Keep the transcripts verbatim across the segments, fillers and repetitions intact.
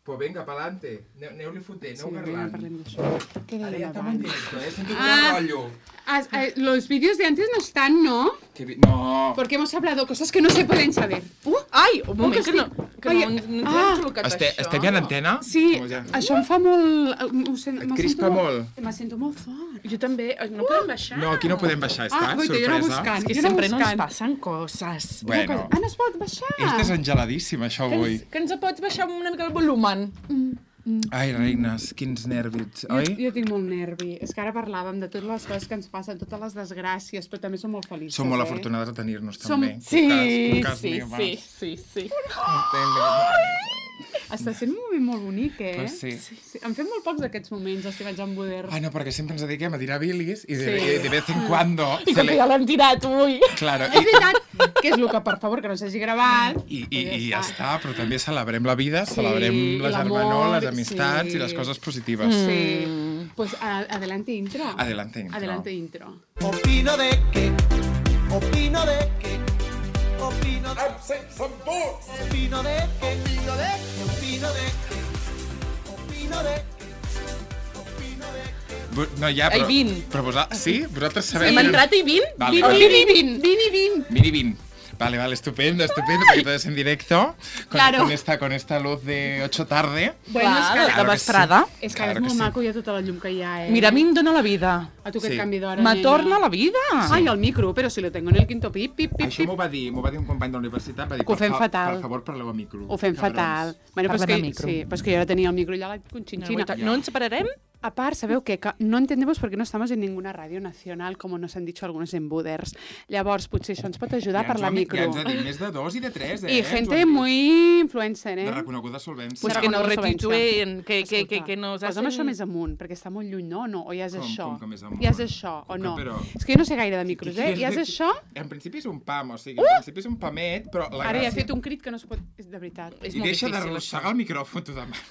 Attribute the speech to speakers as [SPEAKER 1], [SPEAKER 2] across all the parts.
[SPEAKER 1] Pues venga, pa'lante. Aneu-li fotent, aneu parlant.
[SPEAKER 2] parlem d'això. Què
[SPEAKER 1] Ara ja
[SPEAKER 2] dèiem
[SPEAKER 1] estem en
[SPEAKER 2] abans?
[SPEAKER 1] directo, eh? Sento
[SPEAKER 2] Ah.
[SPEAKER 1] un rollo.
[SPEAKER 2] As- eh, Los vídeos de antes no están, ¿no?
[SPEAKER 1] Que vi- No.
[SPEAKER 2] Porque hemos hablado cosas que no se pueden saber. Uh,
[SPEAKER 3] Ai, un moment,
[SPEAKER 2] que
[SPEAKER 3] que no,
[SPEAKER 2] estic-
[SPEAKER 3] que
[SPEAKER 2] Ai,
[SPEAKER 3] no, ens- no ens
[SPEAKER 2] ah.
[SPEAKER 3] hem col·locat
[SPEAKER 1] Este,
[SPEAKER 3] això.
[SPEAKER 1] estem ja en antena?
[SPEAKER 2] sí,
[SPEAKER 1] Com ja?
[SPEAKER 2] això em fa molt... Ho sent,
[SPEAKER 1] Et
[SPEAKER 2] me
[SPEAKER 1] crispa
[SPEAKER 2] sento
[SPEAKER 1] molt?
[SPEAKER 2] Me sento molt fort.
[SPEAKER 3] Jo també. No podem baixar.
[SPEAKER 1] No, aquí no podem baixar, està,
[SPEAKER 2] Ah, guaita, jo anava
[SPEAKER 1] sorpresa.
[SPEAKER 2] buscant.
[SPEAKER 3] És que
[SPEAKER 2] Jo anava
[SPEAKER 3] sempre no ens
[SPEAKER 2] buscant.
[SPEAKER 3] passen coses.
[SPEAKER 1] Bueno,
[SPEAKER 2] Ah, no es pot baixar?
[SPEAKER 1] és desengeladíssim, això,
[SPEAKER 3] Que
[SPEAKER 1] avui.
[SPEAKER 3] ens, que ens pots baixar una mica el volumen?
[SPEAKER 1] Ai, reines, quins nervis,
[SPEAKER 2] Jo,
[SPEAKER 1] oi?
[SPEAKER 2] jo tinc molt nervi. És que ara parlàvem de totes les coses que ens passen, totes les desgràcies, però també som molt feliços,
[SPEAKER 1] Som molt
[SPEAKER 2] eh?
[SPEAKER 1] afortunades de tenir-nos,
[SPEAKER 2] Som-
[SPEAKER 1] també.
[SPEAKER 3] Sí,
[SPEAKER 1] Cucas,
[SPEAKER 3] sí,
[SPEAKER 1] cucas
[SPEAKER 3] sí,
[SPEAKER 1] mías.
[SPEAKER 3] sí, sí.
[SPEAKER 2] Està sent un moment molt bonic, eh?
[SPEAKER 1] Pues sí.
[SPEAKER 2] sí. Em fem molt pocs d'aquests moments, estimats en Boder.
[SPEAKER 1] Ai, no, perquè sempre ens dediquem a tirar bilis i de,
[SPEAKER 2] Sí.
[SPEAKER 1] i de vez en cuando...
[SPEAKER 3] I com que ja l'hem tirat avui.
[SPEAKER 1] Claro,
[SPEAKER 2] És
[SPEAKER 1] i,
[SPEAKER 2] veritat que és el que, per favor, que no s'hagi gravat.
[SPEAKER 1] i, i, i ja està, però també celebrem la vida,
[SPEAKER 2] Sí,
[SPEAKER 1] celebrem
[SPEAKER 2] i
[SPEAKER 1] la
[SPEAKER 2] l'amor,
[SPEAKER 1] germanor, les amistats
[SPEAKER 2] sí.
[SPEAKER 1] i les coses positives.
[SPEAKER 2] Sí.
[SPEAKER 3] Mm.
[SPEAKER 2] Pues a- adelante intro.
[SPEAKER 1] Adelante intro.
[SPEAKER 2] Adelante intro.
[SPEAKER 4] Opino de que, opino de que, opino de que, opino de que, opino de que, opino de que, opino de que, opino de que.
[SPEAKER 1] Bu- No, ja,
[SPEAKER 3] Ai,
[SPEAKER 1] però...
[SPEAKER 3] vint.
[SPEAKER 1] Però vosaltres... Sí? Vosaltres sabeu...
[SPEAKER 3] Hem entrat i vint?
[SPEAKER 1] Vale,
[SPEAKER 2] Vini,
[SPEAKER 1] vale.
[SPEAKER 2] vini, vini, vini, vini.
[SPEAKER 1] Vini, vini. Vale, vale, estupendo, estupendo, porque todo es en directo. Con,
[SPEAKER 2] Claro.
[SPEAKER 1] con, esta, con esta luz de ocho tarde.
[SPEAKER 2] Bueno, és
[SPEAKER 3] Clar,
[SPEAKER 2] que,
[SPEAKER 3] de
[SPEAKER 1] Claro que
[SPEAKER 3] vesprada.
[SPEAKER 2] és que
[SPEAKER 1] Claro
[SPEAKER 2] és
[SPEAKER 1] que
[SPEAKER 2] molt
[SPEAKER 1] sí.
[SPEAKER 2] maco ja tota la llum que hi ha, eh?
[SPEAKER 3] Mira, a mi em dóna la vida.
[SPEAKER 2] A tu que
[SPEAKER 1] Sí.
[SPEAKER 2] et canvi d'hora,
[SPEAKER 3] Me
[SPEAKER 2] nena.
[SPEAKER 3] torna la vida.
[SPEAKER 2] Ai, el micro, però si lo tengo en el quinto pip, pip, pip,
[SPEAKER 1] Això
[SPEAKER 2] pip.
[SPEAKER 1] m'ho va dir, m'ho va dir un company de la universitat, va dir,
[SPEAKER 2] Que ho
[SPEAKER 1] per,
[SPEAKER 2] fem
[SPEAKER 1] fa-
[SPEAKER 2] fatal.
[SPEAKER 1] per favor, parleu a micro.
[SPEAKER 2] Ho fem
[SPEAKER 1] Cabrons.
[SPEAKER 2] fatal. Bueno, pues
[SPEAKER 3] Parlem
[SPEAKER 2] que,
[SPEAKER 3] a micro.
[SPEAKER 2] sí, pues que jo ara tenia el micro ja la conchinchina.
[SPEAKER 3] No ens separarem?
[SPEAKER 2] A part, sabeu què? Que no entendemos por qué no estamos en ninguna radio nacional, como nos han dicho algunos en Buders. Llavors, potser això ens pot ajudar
[SPEAKER 1] Ja
[SPEAKER 2] per
[SPEAKER 1] ens
[SPEAKER 2] la
[SPEAKER 1] ho han-
[SPEAKER 2] micro.
[SPEAKER 1] Ja ens ha dit més de dos i de tres, eh?
[SPEAKER 2] I
[SPEAKER 1] Ens ho
[SPEAKER 2] gente
[SPEAKER 1] han dit.
[SPEAKER 2] muy influencer, eh?
[SPEAKER 1] De reconeguda solvència.
[SPEAKER 3] Pues
[SPEAKER 2] De
[SPEAKER 3] que nos
[SPEAKER 2] reconeguda
[SPEAKER 3] retuituen, que, que, que,
[SPEAKER 2] Escolta,
[SPEAKER 3] que nos
[SPEAKER 2] posa'm
[SPEAKER 3] hacen...
[SPEAKER 2] això més amunt, perquè està molt lluny, no? no? O ja és
[SPEAKER 1] Com-
[SPEAKER 2] això?
[SPEAKER 1] com que més amunt?
[SPEAKER 2] Ja és això, o
[SPEAKER 1] Com que
[SPEAKER 2] no?
[SPEAKER 1] però-
[SPEAKER 2] És que jo no sé gaire de micros, eh? Ja és això?
[SPEAKER 1] En principi és un pam, o sigui, en principi és un pamet, però la
[SPEAKER 2] Ara ja he
[SPEAKER 1] gràcia...
[SPEAKER 2] fet un crit que no es pot... És de veritat.
[SPEAKER 3] És
[SPEAKER 1] I
[SPEAKER 3] molt
[SPEAKER 1] deixa
[SPEAKER 3] difícil,
[SPEAKER 1] d'arrossegar
[SPEAKER 3] això.
[SPEAKER 1] el micròfon, t'ho demano.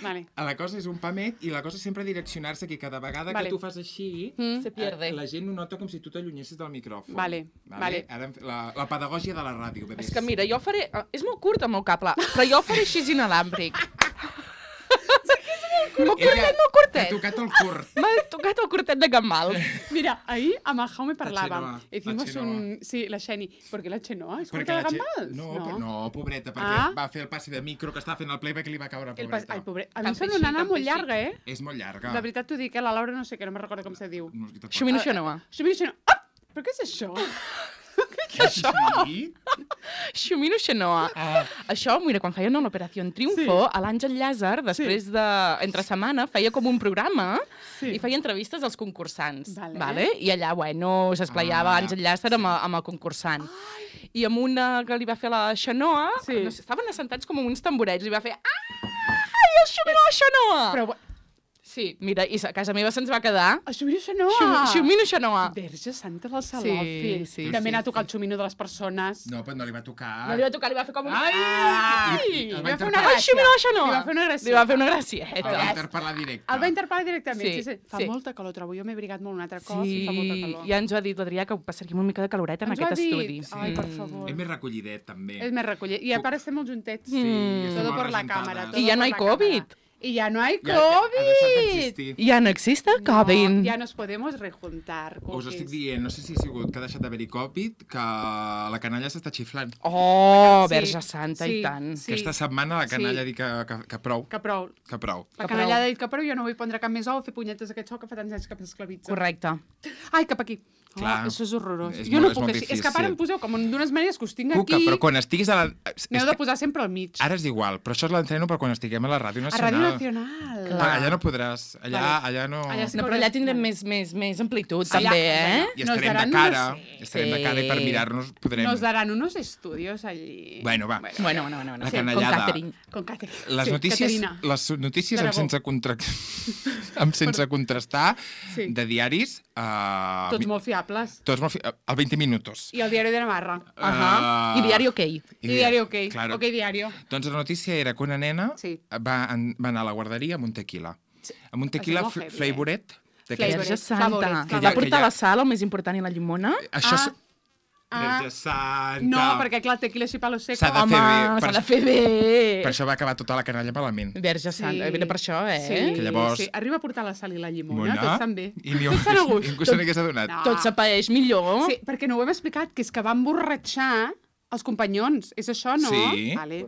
[SPEAKER 2] Vale.
[SPEAKER 1] La cosa és un pamet i la cosa és sempre direccionar-se que cada vegada
[SPEAKER 2] Vale.
[SPEAKER 1] que tu fas així,
[SPEAKER 2] Mm.
[SPEAKER 3] Se pierde.
[SPEAKER 1] eh, la gent ho nota com si tu t'allunyessis del micròfon.
[SPEAKER 2] Vale, vale.
[SPEAKER 1] Ara hem fet la, la pedagògia de la ràdio, bebès.
[SPEAKER 3] És que mira, jo faré... eh, És molt curt el meu cable, però jo faré així inalàmbric. M'ho
[SPEAKER 1] Ella
[SPEAKER 3] curtet, m'ho
[SPEAKER 1] t'ha
[SPEAKER 3] curtet.
[SPEAKER 1] tocat el curt.
[SPEAKER 3] M'ha tocat el curtet de Gambal.
[SPEAKER 2] Mira, ahí amb el Jaume parlàvem.
[SPEAKER 1] Xenoa,
[SPEAKER 2] Hicimos
[SPEAKER 1] la Xenoa.
[SPEAKER 2] un... Sí, la Xeni. ¿Por qué la Xenoa? ¿Es
[SPEAKER 1] Perquè
[SPEAKER 2] corta de
[SPEAKER 1] la gent-
[SPEAKER 2] gambals?
[SPEAKER 1] No, no. no, pobreta, perquè
[SPEAKER 2] Ah.
[SPEAKER 1] va fer el passi de micro que estava fent el playback i li va caure,
[SPEAKER 2] El
[SPEAKER 1] pobreta.
[SPEAKER 2] pas... Ai, pobre... A mi
[SPEAKER 3] Tan
[SPEAKER 2] em sembla
[SPEAKER 3] peixit,
[SPEAKER 2] una nana
[SPEAKER 3] tan
[SPEAKER 2] molt
[SPEAKER 3] peixit.
[SPEAKER 2] llarga, eh?
[SPEAKER 1] És molt llarga.
[SPEAKER 2] De veritat t'ho dic, eh? La Laura no sé què, no me'n recordo com se diu.
[SPEAKER 1] No, jo tampoc.
[SPEAKER 3] Xumino Xenoa.
[SPEAKER 2] Xumino Xenoa. Ah! Però què és això?
[SPEAKER 1] Això? Sí?
[SPEAKER 3] Xumino Xenoa.
[SPEAKER 1] Ah.
[SPEAKER 3] Això, mira, quan feien l'Operació Triunfo, a l'Àngel Llàzer, després de... Entre setmana, feia com un programa
[SPEAKER 2] Sí.
[SPEAKER 3] i feia entrevistes als concursants.
[SPEAKER 2] Vale.
[SPEAKER 3] Vale? I allà, bueno, s'esplayava
[SPEAKER 1] Ah.
[SPEAKER 3] Àngel Llàzer amb, amb el concursant. I amb una que li va fer la Xenoa,
[SPEAKER 2] Sí.
[SPEAKER 3] no sé, estaven assentats com amb uns tamborets, li va fer ai, el Xumino Xenoa!
[SPEAKER 2] Però...
[SPEAKER 3] Sí, mira, i a casa meva se'ns va quedar
[SPEAKER 2] El Xumino Xenoa!
[SPEAKER 3] Xum- Xumino Xenoa.
[SPEAKER 2] Verge santa la Salofi.
[SPEAKER 3] Sí, sí,
[SPEAKER 2] També
[SPEAKER 3] sí,
[SPEAKER 2] anar a tocar el xumino de les persones.
[SPEAKER 1] No, però no li va tocar.
[SPEAKER 3] No li va tocar, li va fer com un...
[SPEAKER 1] Ai!
[SPEAKER 3] Ai!
[SPEAKER 1] I- i el va
[SPEAKER 2] Li va fer una
[SPEAKER 1] interpel·lar.
[SPEAKER 3] Ai, Xumino Xenoa!
[SPEAKER 2] Li va fer una gràcia.
[SPEAKER 3] Li va fer una
[SPEAKER 1] El
[SPEAKER 3] gracieta.
[SPEAKER 1] va interpel·lar directe.
[SPEAKER 2] El va interpel·lar directament. Sí,
[SPEAKER 3] Sí,
[SPEAKER 2] sí. Fa
[SPEAKER 3] sí.
[SPEAKER 2] molta calor, trobo. Jo m'he brigat molt un altre cop i fa molta calor.
[SPEAKER 3] ja ens ho ha dit l'Adrià que passaríem una mica de caloreta en
[SPEAKER 2] Ens ho ha
[SPEAKER 3] aquest
[SPEAKER 2] dit.
[SPEAKER 3] estudi.
[SPEAKER 2] Ai, per
[SPEAKER 3] Mm.
[SPEAKER 2] favor.
[SPEAKER 1] És més recollidet, també.
[SPEAKER 2] És més recollit. I a part estem molt juntets.
[SPEAKER 1] Sí, estem
[SPEAKER 2] Todo
[SPEAKER 1] molt
[SPEAKER 2] por la
[SPEAKER 1] rejuntades.
[SPEAKER 2] cámara.
[SPEAKER 3] I
[SPEAKER 2] todo
[SPEAKER 3] ja no
[SPEAKER 2] por
[SPEAKER 3] hay
[SPEAKER 2] la
[SPEAKER 3] COVID.
[SPEAKER 2] cámara. Y ya no hay
[SPEAKER 1] Ja, ja ha deixat
[SPEAKER 2] COVID.
[SPEAKER 1] d'existir.
[SPEAKER 3] Ja no existe COVID.
[SPEAKER 2] No, ya nos podemos rejuntar.
[SPEAKER 1] Us
[SPEAKER 2] cookies.
[SPEAKER 1] estic dient, no sé si ha sigut que ha deixat d'haver-hi Covid, que la canalla s'està xiflant.
[SPEAKER 3] Oh,
[SPEAKER 2] Sí,
[SPEAKER 3] Verge Santa,
[SPEAKER 2] sí,
[SPEAKER 3] i tant.
[SPEAKER 2] sí.
[SPEAKER 1] Aquesta setmana la canalla
[SPEAKER 2] Sí.
[SPEAKER 1] ha dit que, que, que prou,
[SPEAKER 2] Que prou.
[SPEAKER 1] que prou.
[SPEAKER 2] La
[SPEAKER 3] Que
[SPEAKER 2] canalla
[SPEAKER 3] prou.
[SPEAKER 2] ha dit que prou, jo no vull prendre cap més ou o fer punyetes aquest so que fa tants anys que m'esclavitza.
[SPEAKER 3] Correcte.
[SPEAKER 2] Ai, cap aquí. Oh,
[SPEAKER 1] Clar.
[SPEAKER 2] això és horrorós.
[SPEAKER 1] És
[SPEAKER 2] jo
[SPEAKER 1] molt-
[SPEAKER 2] no
[SPEAKER 1] és
[SPEAKER 2] puc
[SPEAKER 1] molt
[SPEAKER 2] així. És que a part
[SPEAKER 1] difícil.
[SPEAKER 2] em poseu com d'unes maneres que us tinc
[SPEAKER 1] Cuca,
[SPEAKER 2] aquí.
[SPEAKER 1] però quan estiguis a la...
[SPEAKER 2] N'heu
[SPEAKER 1] és
[SPEAKER 2] de
[SPEAKER 1] que
[SPEAKER 2] posar sempre al mig.
[SPEAKER 1] Ara és igual, però això és l'entreno per quan estiguem a la Ràdio
[SPEAKER 2] A
[SPEAKER 1] Nacional.
[SPEAKER 2] Ràdio Nacional.
[SPEAKER 1] Ah, allà no podràs, allà,
[SPEAKER 2] Vale.
[SPEAKER 1] allà no...
[SPEAKER 2] Allà sí.
[SPEAKER 3] No, però allà tindrem més, més, més amplitud,
[SPEAKER 2] Sí,
[SPEAKER 3] també,
[SPEAKER 2] ja,
[SPEAKER 3] eh?
[SPEAKER 1] I
[SPEAKER 2] Nos
[SPEAKER 1] estarem
[SPEAKER 2] daran
[SPEAKER 1] de cara,
[SPEAKER 2] unos-
[SPEAKER 1] estarem de
[SPEAKER 3] Sí.
[SPEAKER 1] cara i per mirar-nos podrem...
[SPEAKER 2] Nos darán unos estudios allí.
[SPEAKER 1] Bueno, va.
[SPEAKER 3] Bueno, bueno, bueno. bueno.
[SPEAKER 1] La
[SPEAKER 3] Sí,
[SPEAKER 1] canallada.
[SPEAKER 3] Con Catherine.
[SPEAKER 2] Con Catherine.
[SPEAKER 1] Les
[SPEAKER 2] Sí,
[SPEAKER 1] notícies,
[SPEAKER 2] Caterina.
[SPEAKER 1] les notícies amb
[SPEAKER 2] D'Aragó.
[SPEAKER 1] sense, contra... amb sense contrastar
[SPEAKER 2] Sí.
[SPEAKER 1] de diaris... Uh,
[SPEAKER 2] Tots molt fiables.
[SPEAKER 1] Tots molt... fi- Al veinte minutos.
[SPEAKER 2] I el diari de Navarra.
[SPEAKER 3] Ajá.
[SPEAKER 1] Ah.
[SPEAKER 3] I Diari OK.
[SPEAKER 2] I diari OK.
[SPEAKER 1] Claro.
[SPEAKER 2] OK diario.
[SPEAKER 1] Doncs la notícia era que una nena
[SPEAKER 2] Sí.
[SPEAKER 1] va, en, va anar a la guarderia amb un tequila. Amb un tequila
[SPEAKER 2] Això és molt
[SPEAKER 1] fl-
[SPEAKER 2] heavy, eh?
[SPEAKER 1] flavoret. d'aquests-
[SPEAKER 2] Flavoret.
[SPEAKER 3] Verge Santa.
[SPEAKER 2] Favorit,
[SPEAKER 3] Que
[SPEAKER 1] favorit.
[SPEAKER 3] va portar
[SPEAKER 1] Que ja-
[SPEAKER 3] a la sala el més important i la llimona.
[SPEAKER 1] Això,
[SPEAKER 2] Ah.
[SPEAKER 1] és-
[SPEAKER 2] Ah,
[SPEAKER 1] Verge Santa.
[SPEAKER 2] no, perquè clar, tequila així palo seco.
[SPEAKER 1] S'ha de
[SPEAKER 3] Home,
[SPEAKER 1] fer bé,
[SPEAKER 3] s'ha
[SPEAKER 1] per-
[SPEAKER 3] de fer bé.
[SPEAKER 1] Per això va acabar tota la canalla malament.
[SPEAKER 3] Verge Santa, sí. per això, eh?
[SPEAKER 2] Sí,
[SPEAKER 1] Que llavors-
[SPEAKER 2] sí. Arriba a portar la sal i la llimona,
[SPEAKER 1] Mona,
[SPEAKER 2] tots estan bé.
[SPEAKER 1] I ni
[SPEAKER 2] Tots estan a gust.
[SPEAKER 1] ningú se n'hagués adonat.
[SPEAKER 2] No.
[SPEAKER 3] Tot s'apaeix millor.
[SPEAKER 2] Sí, perquè no ho hem explicat, que és que va emborratxar els companyons. És això, no?
[SPEAKER 1] Sí.
[SPEAKER 2] Vale.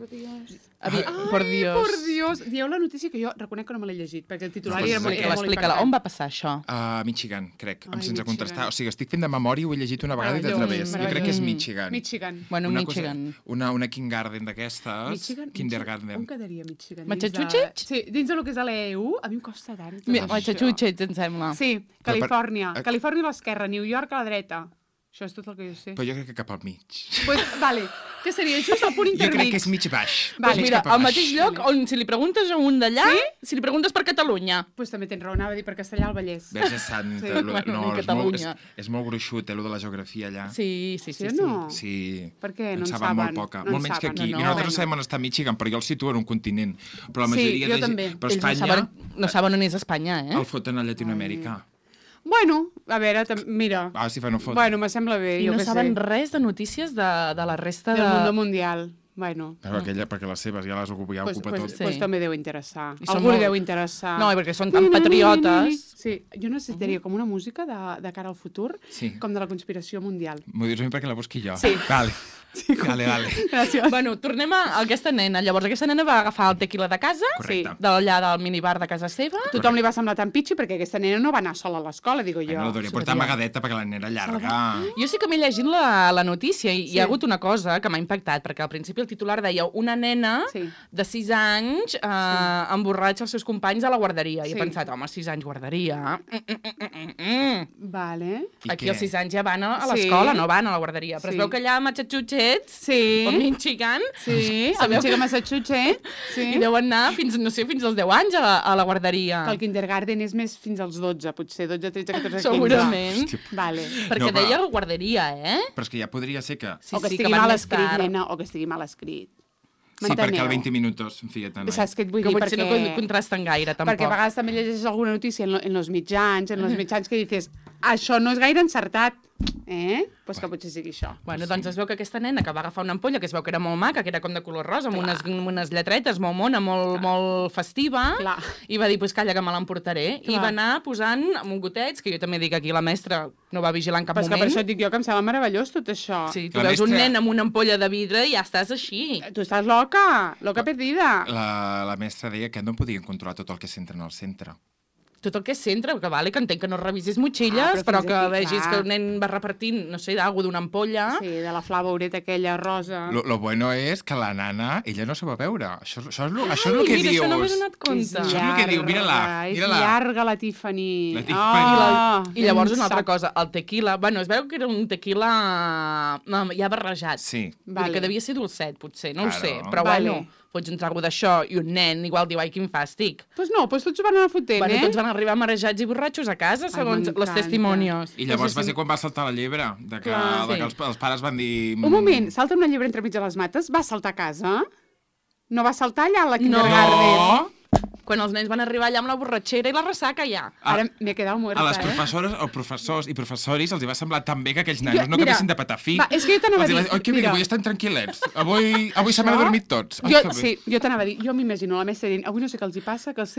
[SPEAKER 3] Avi...
[SPEAKER 2] Ai,
[SPEAKER 3] por Dios.
[SPEAKER 2] por Dios. Dieu la notícia que jo reconec que no me l'he llegit, perquè el titular
[SPEAKER 1] Pues
[SPEAKER 2] era molt,
[SPEAKER 1] explica-la,
[SPEAKER 2] era molt
[SPEAKER 3] Explica-la,
[SPEAKER 2] impactant.
[SPEAKER 3] on va passar això?
[SPEAKER 1] A Michigan, crec,
[SPEAKER 2] Ai,
[SPEAKER 1] sense
[SPEAKER 2] Michigan.
[SPEAKER 1] contrastar. O sigui, estic fent de memòria, ho he llegit una vegada i de
[SPEAKER 2] Meravellós,
[SPEAKER 1] través. Jo crec
[SPEAKER 2] meravellós.
[SPEAKER 1] que és Michigan.
[SPEAKER 2] Michigan.
[SPEAKER 3] Bueno,
[SPEAKER 1] una
[SPEAKER 3] Michigan.
[SPEAKER 1] Cosa, una, una kindergarten d'aquestes.
[SPEAKER 2] Michigan? On
[SPEAKER 1] Kindergarten.
[SPEAKER 2] quedaria Michigan?
[SPEAKER 3] Massachusetts?
[SPEAKER 2] Dins de... Sí, dins del que és a l'E U, a mi em costa tant. tot
[SPEAKER 3] Mi-
[SPEAKER 2] això.
[SPEAKER 3] Massachusetts, em sembla.
[SPEAKER 2] Sí,
[SPEAKER 1] Però per-
[SPEAKER 2] Califòrnia.
[SPEAKER 1] eh,
[SPEAKER 2] Califòrnia a l'esquerra, New York a la dreta. Això és tot el que jo sé.
[SPEAKER 1] Però jo crec que cap al mig.
[SPEAKER 2] Pues, vale, que seria just el punt
[SPEAKER 1] Jo
[SPEAKER 2] intermig.
[SPEAKER 1] crec que és mig baix.
[SPEAKER 2] Vale.
[SPEAKER 3] Pues
[SPEAKER 1] Mig
[SPEAKER 3] mira,
[SPEAKER 1] cap a
[SPEAKER 3] al
[SPEAKER 1] baix.
[SPEAKER 3] mateix lloc on si li preguntes a un d'allà, sí? si li preguntes per Catalunya.
[SPEAKER 2] Pues també tens raó, anava a dir per Castellà al Vallès.
[SPEAKER 1] Verge Santa.
[SPEAKER 2] Sí.
[SPEAKER 1] lo-
[SPEAKER 3] Bueno,
[SPEAKER 1] no,
[SPEAKER 3] ni
[SPEAKER 1] és molt, és,
[SPEAKER 3] Catalunya.
[SPEAKER 1] és molt gruixut, eh, lo de la geografia allà.
[SPEAKER 3] Sí, sí, sí.
[SPEAKER 2] Sí o
[SPEAKER 3] sí.
[SPEAKER 2] no?
[SPEAKER 1] Sí.
[SPEAKER 2] Per què? No en
[SPEAKER 1] saben
[SPEAKER 2] saben.
[SPEAKER 1] molt poca.
[SPEAKER 2] No en
[SPEAKER 1] molt menys que
[SPEAKER 2] saben.
[SPEAKER 1] aquí.
[SPEAKER 3] No,
[SPEAKER 1] I
[SPEAKER 3] no.
[SPEAKER 1] nosaltres
[SPEAKER 2] Bueno.
[SPEAKER 1] sabem on està Michigan, però jo el situo en un continent. Però la
[SPEAKER 2] Sí,
[SPEAKER 1] majoria
[SPEAKER 2] jo
[SPEAKER 1] de
[SPEAKER 2] també.
[SPEAKER 1] gent... Però
[SPEAKER 3] Ells no
[SPEAKER 1] Espanya
[SPEAKER 3] saben, no saben on és Espanya, eh?
[SPEAKER 1] el foten a Llatinoamèrica.
[SPEAKER 2] Bueno, a veure, tam- mira.
[SPEAKER 1] Ah, si fa no fot.
[SPEAKER 2] Bueno, me sembla bé,
[SPEAKER 3] I
[SPEAKER 2] jo
[SPEAKER 3] no
[SPEAKER 2] què
[SPEAKER 3] saben
[SPEAKER 2] sé.
[SPEAKER 3] res de notícies de, de la resta
[SPEAKER 2] Del
[SPEAKER 3] de...
[SPEAKER 2] mundo mundial. Bueno,
[SPEAKER 1] Però aquella, perquè les seves ja les ocupa, ja
[SPEAKER 2] pues,
[SPEAKER 1] ocupa
[SPEAKER 2] pues,
[SPEAKER 1] tot.
[SPEAKER 3] sí.
[SPEAKER 2] pues també deu interessar.
[SPEAKER 3] I són
[SPEAKER 2] Algú li
[SPEAKER 3] molt-
[SPEAKER 2] deu interessar.
[SPEAKER 3] No, i perquè són tan patriotes.
[SPEAKER 2] Sí, jo necessitaria com una música de, de cara al futur,
[SPEAKER 1] Sí.
[SPEAKER 2] com de la conspiració mundial.
[SPEAKER 1] M'ho dius a mi perquè la busqui jo.
[SPEAKER 2] Sí.
[SPEAKER 1] Vale.
[SPEAKER 2] Sí,
[SPEAKER 1] Vale, vale.
[SPEAKER 2] Gràcies.
[SPEAKER 3] Bueno, tornem a aquesta nena. Llavors, aquesta nena va agafar el tequila de casa,
[SPEAKER 1] Correcte.
[SPEAKER 3] d'allà del minibar de casa seva.
[SPEAKER 2] Tothom li va semblar tan pitxi perquè aquesta nena no va anar sola a l'escola, digo
[SPEAKER 1] Ai,
[SPEAKER 2] jo.
[SPEAKER 1] no l'hauria portat amagadeta perquè la nena llarga.
[SPEAKER 3] Jo sí que m'he llegit la, la notícia i
[SPEAKER 2] Sí.
[SPEAKER 3] hi ha hagut una cosa que m'ha impactat, perquè al principi el titular deia una nena
[SPEAKER 2] Sí.
[SPEAKER 3] de sis anys eh, emborratxa els seus companys a la guarderia. I
[SPEAKER 2] Sí.
[SPEAKER 3] he pensat, home, sis anys guarderia... Mm, mm, mm, mm, mm.
[SPEAKER 2] Vale.
[SPEAKER 1] I
[SPEAKER 3] Aquí
[SPEAKER 1] què?
[SPEAKER 3] els sis anys ja van a, a
[SPEAKER 2] Sí.
[SPEAKER 3] l'escola, no van a la guarderia. Però
[SPEAKER 2] Sí.
[SPEAKER 3] es veu que allà a Massachusetts,
[SPEAKER 2] Sí.
[SPEAKER 3] o Michigan,
[SPEAKER 2] Sí, a
[SPEAKER 3] Sabeu
[SPEAKER 2] Michigan,
[SPEAKER 3] que-
[SPEAKER 2] Massachusetts. Sí.
[SPEAKER 3] i deuen anar fins, no sé, fins als deu anys a la, a la guarderia.
[SPEAKER 2] Que el kindergarten és més fins als dotze, potser dotze, tretze, catorze, quinze.
[SPEAKER 3] Segurament.
[SPEAKER 1] Hòstia.
[SPEAKER 2] Vale.
[SPEAKER 3] Perquè
[SPEAKER 1] No, però-
[SPEAKER 3] deia guarderia, eh?
[SPEAKER 1] Però és que ja podria ser que...
[SPEAKER 3] Sí,
[SPEAKER 2] o que
[SPEAKER 3] sí,
[SPEAKER 2] estigui
[SPEAKER 3] van
[SPEAKER 2] mal
[SPEAKER 3] més
[SPEAKER 2] escrit,
[SPEAKER 3] tard.
[SPEAKER 2] nena, o que estigui mal escrit.
[SPEAKER 1] Sí, perquè
[SPEAKER 2] M'enteneu?
[SPEAKER 1] al vint minuts, en fi, tant.
[SPEAKER 2] Saps què et vull
[SPEAKER 3] Que
[SPEAKER 2] dir?
[SPEAKER 3] potser no
[SPEAKER 2] Perquè...
[SPEAKER 3] contrasten gaire, tampoc.
[SPEAKER 2] Perquè a vegades també llegeixes alguna notícia en, lo, en los mitjans, en los mitjans que dices, això no és gaire encertat, eh? Pues que potser sigui això.
[SPEAKER 3] Bueno, doncs es veu que aquesta nena que va agafar una ampolla, que es veu que era molt maca, que era com de color rosa, amb unes, amb unes lletretes molt mona, molt, molt festiva,
[SPEAKER 2] Clar.
[SPEAKER 3] i va dir, pues calla, que me l'emportaré. I
[SPEAKER 2] Clar.
[SPEAKER 3] va anar posant amb gotets, que jo també dic aquí, la mestra no va vigilar en cap
[SPEAKER 2] Però és que per
[SPEAKER 3] moment.
[SPEAKER 2] això et dic jo que em sembla meravellós tot això.
[SPEAKER 3] Sí, tu
[SPEAKER 1] La
[SPEAKER 3] veus un
[SPEAKER 1] mestra-
[SPEAKER 3] nen amb una ampolla de vidre i ja estàs així.
[SPEAKER 2] Tu estàs loca, loca perdida.
[SPEAKER 1] La, la mestra deia que no podien controlar tot el que s'entra en el centre.
[SPEAKER 3] Tot el que és centre, que vale, que entenc que no revisis motxilles,
[SPEAKER 2] Ah, però
[SPEAKER 3] però,
[SPEAKER 2] fins
[SPEAKER 3] que
[SPEAKER 2] aquí,
[SPEAKER 3] vegis
[SPEAKER 2] clar.
[SPEAKER 3] que el nen va repartint, no sé, d'algú d'una ampolla.
[SPEAKER 2] Sí, de la flavaureta aquella rosa.
[SPEAKER 1] Lo, lo bueno és que la nana, ella no se va veure. Això, això, és, lo, això és el
[SPEAKER 3] Ai,
[SPEAKER 1] que
[SPEAKER 3] mira,
[SPEAKER 1] dius.
[SPEAKER 3] això no m'he donat
[SPEAKER 2] És
[SPEAKER 3] compte.
[SPEAKER 1] Això és el que diu, mira-la,
[SPEAKER 2] És
[SPEAKER 1] mira-la.
[SPEAKER 2] llarga, la Tiffany.
[SPEAKER 1] La Tiffany.
[SPEAKER 2] Oh,
[SPEAKER 3] I llavors
[SPEAKER 2] un
[SPEAKER 3] una altra
[SPEAKER 2] sac.
[SPEAKER 3] cosa, el tequila, bueno, es veu que era un tequila no, ja barrejat.
[SPEAKER 1] Sí.
[SPEAKER 3] Vull dir
[SPEAKER 2] Vale.
[SPEAKER 3] que devia ser dolcet, potser, no
[SPEAKER 1] Claro.
[SPEAKER 3] ho sé. Però
[SPEAKER 2] Vale.
[SPEAKER 3] bueno, pots un trago d'això i un nen igual diu, ai, quin fàstic.
[SPEAKER 2] Pues no, pues tots van anar fotent,
[SPEAKER 3] Bueno,
[SPEAKER 2] eh?
[SPEAKER 3] tots van arribar marejats i borratxos a casa, segons
[SPEAKER 2] m'encanta.
[SPEAKER 3] les testimonios.
[SPEAKER 1] I llavors
[SPEAKER 2] Això
[SPEAKER 1] va
[SPEAKER 2] sí.
[SPEAKER 1] ser quan va saltar la llebre, de que,
[SPEAKER 2] Clar.
[SPEAKER 1] de
[SPEAKER 3] Sí.
[SPEAKER 1] que els, els pares van dir...
[SPEAKER 2] Un moment, salta una llebre entremig de les mates, va saltar a casa? No va saltar allà a la
[SPEAKER 3] No.
[SPEAKER 2] kindergarten?
[SPEAKER 1] No!
[SPEAKER 3] Quan els nens van arribar allà amb la borratxera i la ressaca ja.
[SPEAKER 1] Ah,
[SPEAKER 2] Ara m'he quedat muerta,
[SPEAKER 1] A les
[SPEAKER 2] eh?
[SPEAKER 1] professores o professors i professoris els hi va semblar tan bé que aquells nanos
[SPEAKER 2] Jo-
[SPEAKER 1] no
[SPEAKER 2] mira,
[SPEAKER 1] acabessin de patar fi.
[SPEAKER 2] va, és que jo t'anava a
[SPEAKER 1] Els hi va
[SPEAKER 2] dir,
[SPEAKER 1] Oi, que bé,
[SPEAKER 2] mira.
[SPEAKER 1] avui estan tranquil·lets. Avui, avui se m'han
[SPEAKER 2] Això-
[SPEAKER 1] adormit tots. Ai,
[SPEAKER 2] Jo,
[SPEAKER 1] que bé.
[SPEAKER 2] sí, jo t'anava a dir, jo m'imagino la mestra dient, avui no sé què els hi passa, que els...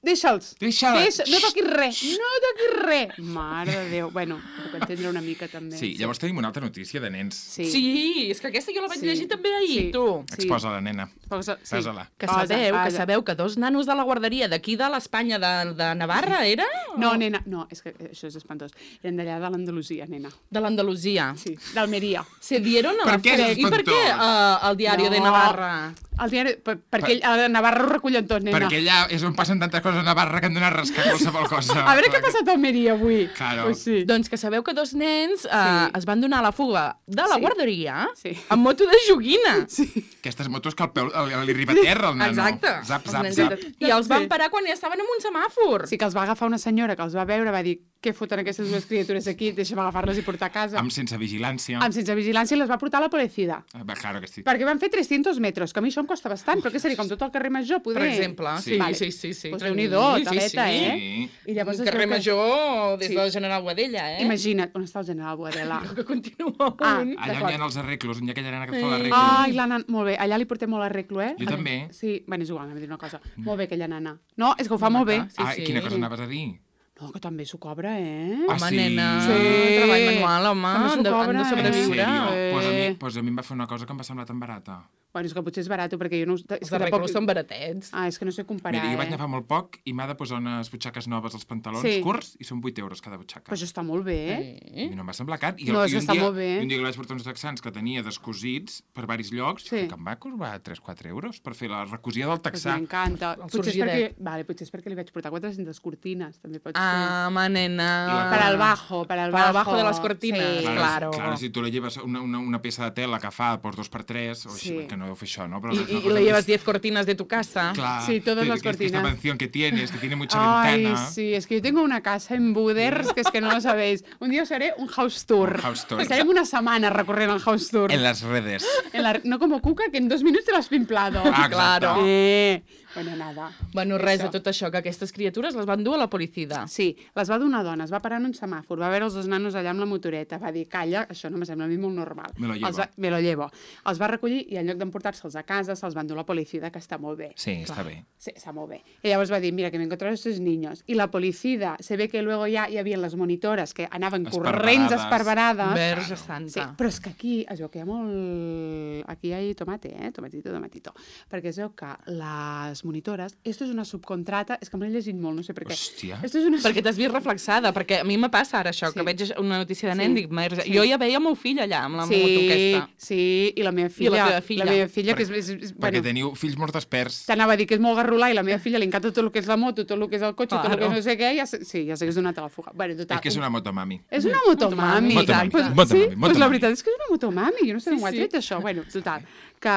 [SPEAKER 2] Deixa'ls!
[SPEAKER 1] Deixa-la.
[SPEAKER 2] Deixa, no toquis res, no toquis res! Mare de Déu. Bueno, ho puc entendre una mica, també.
[SPEAKER 1] Sí, llavors tenim una altra notícia de nens.
[SPEAKER 2] Sí.
[SPEAKER 3] Sí, és que aquesta jo la vaig
[SPEAKER 2] Sí.
[SPEAKER 3] llegir també ahir,
[SPEAKER 2] Sí.
[SPEAKER 3] tu.
[SPEAKER 2] Sí.
[SPEAKER 1] Exposa-la, nena.
[SPEAKER 2] Posa, sí.
[SPEAKER 1] Posa-la.
[SPEAKER 3] Que
[SPEAKER 2] Posa,
[SPEAKER 3] sabeu, que
[SPEAKER 2] posa.
[SPEAKER 3] sabeu que dos nanos de la guarderia d'aquí de l'Espanya de, de Navarra, era?
[SPEAKER 2] No, nena, no, és que això és espantós. Eren d'allà de l'Andalusia, nena.
[SPEAKER 3] De l'Andalusia.
[SPEAKER 2] Sí, d'Almeria.
[SPEAKER 3] Se dieron a
[SPEAKER 1] Per
[SPEAKER 3] la
[SPEAKER 1] què és
[SPEAKER 3] fuga. I per què
[SPEAKER 1] espantós?
[SPEAKER 3] uh, el diari
[SPEAKER 2] No.
[SPEAKER 3] de Navarra?
[SPEAKER 2] El diari, per, perquè a Navarra ho recullen tot, nena.
[SPEAKER 1] Perquè allà és on passen tantes coses a Navarra que han donat rascar qualsevol cosa.
[SPEAKER 2] A veure què ha passat a Almeria avui.
[SPEAKER 1] Claro.
[SPEAKER 2] Pues sí.
[SPEAKER 3] Doncs que sabeu que dos nens uh,
[SPEAKER 2] Sí.
[SPEAKER 3] es van donar a la fuga de la
[SPEAKER 2] Sí.
[SPEAKER 3] guarderia
[SPEAKER 2] Sí.
[SPEAKER 3] amb moto de joguina.
[SPEAKER 2] Sí.
[SPEAKER 1] Aquestes motos que el peu el, li arriba a terra, el nano.
[SPEAKER 3] Exacte.
[SPEAKER 1] Zap,
[SPEAKER 3] Els
[SPEAKER 1] zap,
[SPEAKER 3] nens
[SPEAKER 1] zap.
[SPEAKER 3] de- I els van parar quan ja estaven en un semàfor.
[SPEAKER 2] Sí que els va agafar una senyora que els va veure, va dir, què què foten aquestes dues criatures aquí? Deixa'm agafar-les i portar a casa.
[SPEAKER 1] Amb sense vigilància.
[SPEAKER 2] Amb sense vigilància les va portar la policía.
[SPEAKER 1] Ah, claro que sí.
[SPEAKER 2] Perquè van fer tres-cents metres, que a mi això em costa bastant, però què seria, com tot el carrer Major, poder...
[SPEAKER 3] Per exemple, sí,
[SPEAKER 1] Sí.
[SPEAKER 3] vale. sí, sí. sí.
[SPEAKER 2] Pues Déu-n'hi-do,
[SPEAKER 3] Sí,
[SPEAKER 2] taleta,
[SPEAKER 3] sí.
[SPEAKER 2] eh?
[SPEAKER 1] Sí.
[SPEAKER 2] I llavors
[SPEAKER 3] El
[SPEAKER 2] es
[SPEAKER 3] carrer
[SPEAKER 2] veu que-
[SPEAKER 3] Major des
[SPEAKER 2] Sí.
[SPEAKER 3] del General Guadella, eh?
[SPEAKER 2] Imagina't, on està el general Boadella?
[SPEAKER 3] Que continua
[SPEAKER 2] Ah,
[SPEAKER 3] un.
[SPEAKER 1] Allà on
[SPEAKER 2] D'acord.
[SPEAKER 1] hi ha els arreglos, on hi ha aquella nena que et fa
[SPEAKER 3] Sí.
[SPEAKER 1] l'arreglo.
[SPEAKER 2] Ai, la nana... Molt bé, allà li portem molt arreglo, eh?
[SPEAKER 1] Jo també.
[SPEAKER 2] Sí, bueno, és igual, anem a dir una cosa. Molt bé, aquella nana. No, és que ho fa molt bé.
[SPEAKER 3] maca. Sí,
[SPEAKER 1] ah,
[SPEAKER 3] sí.
[SPEAKER 1] quina cosa anaves a dir?
[SPEAKER 2] No, que també s'ho cobra, eh?
[SPEAKER 1] Ah,
[SPEAKER 3] Home,
[SPEAKER 1] sí?
[SPEAKER 3] nena,
[SPEAKER 2] Sí.
[SPEAKER 3] treball manual, home,
[SPEAKER 2] També s'ho
[SPEAKER 3] han de, han
[SPEAKER 2] cobra,
[SPEAKER 3] de
[SPEAKER 2] eh?
[SPEAKER 3] sobreviure.
[SPEAKER 1] En sèrio?
[SPEAKER 2] Eh.
[SPEAKER 1] Pues a, mi, pues a mi em va fer una cosa que em va semblar tan barata.
[SPEAKER 2] Bueno, és que potser és barat, perquè jo no... És
[SPEAKER 3] Els
[SPEAKER 2] que
[SPEAKER 3] arreglos són baratets.
[SPEAKER 2] Ah, és que no sé comparar,
[SPEAKER 1] Mira, jo vaig
[SPEAKER 2] eh?
[SPEAKER 1] anar fa molt poc i m'ha de posar unes butxaques noves als pantalons
[SPEAKER 2] Sí.
[SPEAKER 1] curts i són vuit euros cada butxaca.
[SPEAKER 2] Però això està molt bé, eh?
[SPEAKER 1] A mi no em va semblar car. I,
[SPEAKER 2] No, és
[SPEAKER 1] i
[SPEAKER 2] que
[SPEAKER 1] un
[SPEAKER 2] està
[SPEAKER 1] dia,
[SPEAKER 2] molt bé.
[SPEAKER 1] i un dia que li vaig portar uns texans que tenia descosits per varis llocs,
[SPEAKER 2] Sí.
[SPEAKER 1] que em va costar tres quatre euros per fer la recosia del
[SPEAKER 2] Pues
[SPEAKER 1] texà.
[SPEAKER 2] m'encanta.
[SPEAKER 3] El
[SPEAKER 2] Potser és perquè...
[SPEAKER 3] sorgidet.
[SPEAKER 2] Vale, potser és perquè li vaig portar quatre-centes cortines, també pot ser.
[SPEAKER 3] Ah, home, nena.
[SPEAKER 1] I la-
[SPEAKER 2] Para el bajo, para el
[SPEAKER 3] Para el
[SPEAKER 2] bajo.
[SPEAKER 3] bajo de las cortinas,
[SPEAKER 2] Sí.
[SPEAKER 3] claro.
[SPEAKER 1] Claro, si tu le llevas una, una, una peça de tela que fa pues, dos per tres, o
[SPEAKER 2] Sí.
[SPEAKER 1] així, que no deu fer això, no? Però
[SPEAKER 3] Y,
[SPEAKER 1] és una
[SPEAKER 3] y- y
[SPEAKER 1] cosa
[SPEAKER 3] le llevas
[SPEAKER 1] més-
[SPEAKER 3] diez cortinas de tu casa.
[SPEAKER 1] Claro,
[SPEAKER 2] Sí, todas
[SPEAKER 1] que-
[SPEAKER 2] las
[SPEAKER 1] que es que Esta
[SPEAKER 2] cortinas.
[SPEAKER 1] mansión que tienes, que tiene mucha
[SPEAKER 2] Ay,
[SPEAKER 1] ventana.
[SPEAKER 2] sí, es que yo tengo una casa en Buders, que es que no lo sabéis. Un día os haré un house tour.
[SPEAKER 1] Un house tour.
[SPEAKER 2] Estarem una setmana recorrent el house tour.
[SPEAKER 1] En las redes.
[SPEAKER 2] En la- No como Cuca, que en dos minuts te l'has pimplado.
[SPEAKER 1] Ah, exacte.
[SPEAKER 3] Claro.
[SPEAKER 2] Eh, bueno, nada.
[SPEAKER 3] Bueno, res,
[SPEAKER 2] Això.
[SPEAKER 3] de tot això, que aquestes criatures les van dur a la policia.
[SPEAKER 2] Sí, les va dur una dona, es va parar en un semàfor, va veure els dos nanos allà amb la motoreta, va dir, calla, això no me sembla a mi molt normal.
[SPEAKER 1] Me lo llevo.
[SPEAKER 2] Els va, me lo llevo. Els va recollir i en lloc d'emportar-se'ls a casa, se'ls van dur a la policia, que està molt bé.
[SPEAKER 1] Sí, està bé.
[SPEAKER 2] Sí, está muy bien. Y llavors va dir, mira, que me encontraron estos niños. Y la policía, se ve que luego ya hi havia les monitores que anaven corrents
[SPEAKER 1] Esparverades.
[SPEAKER 2] esparverades.
[SPEAKER 3] Verge
[SPEAKER 2] Sí,
[SPEAKER 3] santa.
[SPEAKER 2] però és que aquí es veu que hi ha molt... Aquí hi ha tomate, eh? Tomatito, tomatito. Perquè es veu que les monitores... Esto és una subcontrata... És que me l'he llegit molt, no sé per què.
[SPEAKER 1] Hòstia.
[SPEAKER 2] Esto és una...
[SPEAKER 3] Perquè t'has vist reflexada, perquè a mi me passa ara això,
[SPEAKER 2] Sí.
[SPEAKER 3] que veig una notícia de nen,
[SPEAKER 2] Sí.
[SPEAKER 3] dic, "Merda",
[SPEAKER 2] Sí.
[SPEAKER 3] jo ja veia el meu fill allà, amb la
[SPEAKER 2] Sí,
[SPEAKER 3] moto aquesta.
[SPEAKER 2] sí, i la meva
[SPEAKER 3] I
[SPEAKER 2] filla...
[SPEAKER 3] la teva filla.
[SPEAKER 2] La meva filla, que és...
[SPEAKER 1] Per-
[SPEAKER 2] és, és
[SPEAKER 1] Perquè
[SPEAKER 2] bueno,
[SPEAKER 1] teniu fills molt desperts.
[SPEAKER 2] t'anava a dir que és molt garrulà i la meva filla li encanta tot el que és la moto, tot el que és el cotxe, tot el que
[SPEAKER 3] Claro.
[SPEAKER 2] no sé què, ja sé, sí, ja sé que és donat a la fuga. Bueno, total,
[SPEAKER 1] És que és una motomami.
[SPEAKER 2] És una motomami.
[SPEAKER 3] Motomami,
[SPEAKER 2] Pues,
[SPEAKER 1] motomami,
[SPEAKER 2] sí, pues
[SPEAKER 1] motomami.
[SPEAKER 2] la veritat és que és una motomami. Jo no sé
[SPEAKER 3] Sí,
[SPEAKER 2] d'on ho ha
[SPEAKER 3] sí.
[SPEAKER 2] tret, això. Bueno, total, que,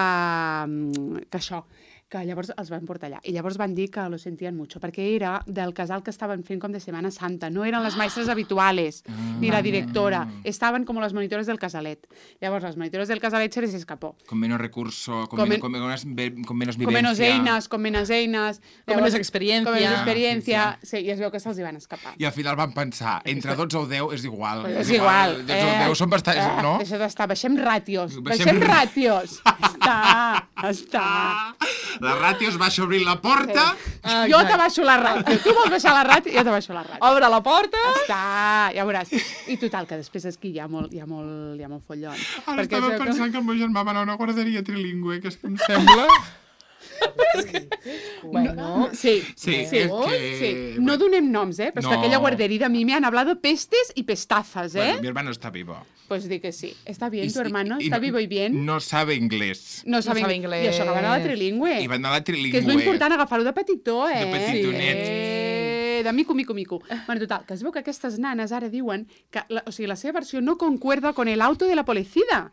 [SPEAKER 2] mm, que això, que llavors els van portar allà. I llavors van dir que lo sentien mucho, perquè era del casal que estaven fent com de Semana Santa. No eren les maestres habituales, ni la directora. Estaven com les monitores del casalet. Llavors, les monitores del casalet se les escapó.
[SPEAKER 1] Con menos recurso, con,
[SPEAKER 2] Con
[SPEAKER 1] men-
[SPEAKER 2] men-
[SPEAKER 1] con menos, ve- con menos
[SPEAKER 2] Con
[SPEAKER 1] vivencia.
[SPEAKER 2] menos eines, con menos eines.
[SPEAKER 3] Con
[SPEAKER 2] Llavors,
[SPEAKER 3] menos experiencia.
[SPEAKER 2] Con menos experiencia.
[SPEAKER 1] Sí,
[SPEAKER 2] Sí, i es veu que se'ls hi van escapar.
[SPEAKER 1] I al final van pensar, entre dotze o deu és igual.
[SPEAKER 2] És igual.
[SPEAKER 1] dotze o deu són bastants, no?
[SPEAKER 2] Deixa d'estar, baixem ràtios.
[SPEAKER 1] Baixem-
[SPEAKER 2] Baixem ràtios. Està, està.
[SPEAKER 1] La ràtio es baixa obrint la porta.
[SPEAKER 3] Ah,
[SPEAKER 2] Jo
[SPEAKER 3] exacte.
[SPEAKER 2] t'abaixo la ràtio. Tu vols baixar la ràtio? Jo t'abaixo la ràtio.
[SPEAKER 3] Obre la porta.
[SPEAKER 2] Està, ja veuràs. I total, que després és que hi ha molt, hi ha molt, hi ha molt follon.
[SPEAKER 1] Ara
[SPEAKER 2] Perquè
[SPEAKER 1] estava
[SPEAKER 2] es veu que-
[SPEAKER 1] pensant que el meu germà va anar a una guarderia trilingüe, que és que em sembla...
[SPEAKER 3] Bueno,
[SPEAKER 2] Sí,
[SPEAKER 1] Sí,
[SPEAKER 2] sí,
[SPEAKER 1] és que-
[SPEAKER 2] sí. No donem noms, eh? Però és que
[SPEAKER 1] No.
[SPEAKER 2] aquella guarderia de mi me han hablado pestes y pestazas, ¿eh?
[SPEAKER 1] Bueno, mi hermano está vivo.
[SPEAKER 2] Pues di que sí. ¿Está bien
[SPEAKER 1] Y-
[SPEAKER 2] tu hermano?
[SPEAKER 1] y- y
[SPEAKER 2] ¿Está
[SPEAKER 1] no-
[SPEAKER 2] vivo y bien?
[SPEAKER 1] No sabe inglés.
[SPEAKER 2] No sabe,
[SPEAKER 3] sabe
[SPEAKER 2] I
[SPEAKER 3] inglès.
[SPEAKER 2] això que va anar a la trilingüe.
[SPEAKER 1] I va anar a la
[SPEAKER 2] Que
[SPEAKER 1] trilingüe.
[SPEAKER 2] és lo important, agafar-ho de petitó, eh?
[SPEAKER 1] De petitonet.
[SPEAKER 2] Eh, de mico, mico, mico. Bueno, total, que es veu que aquestes nanes ara diuen que la, o sigui, la seva versió no concuerda con el auto de la policía.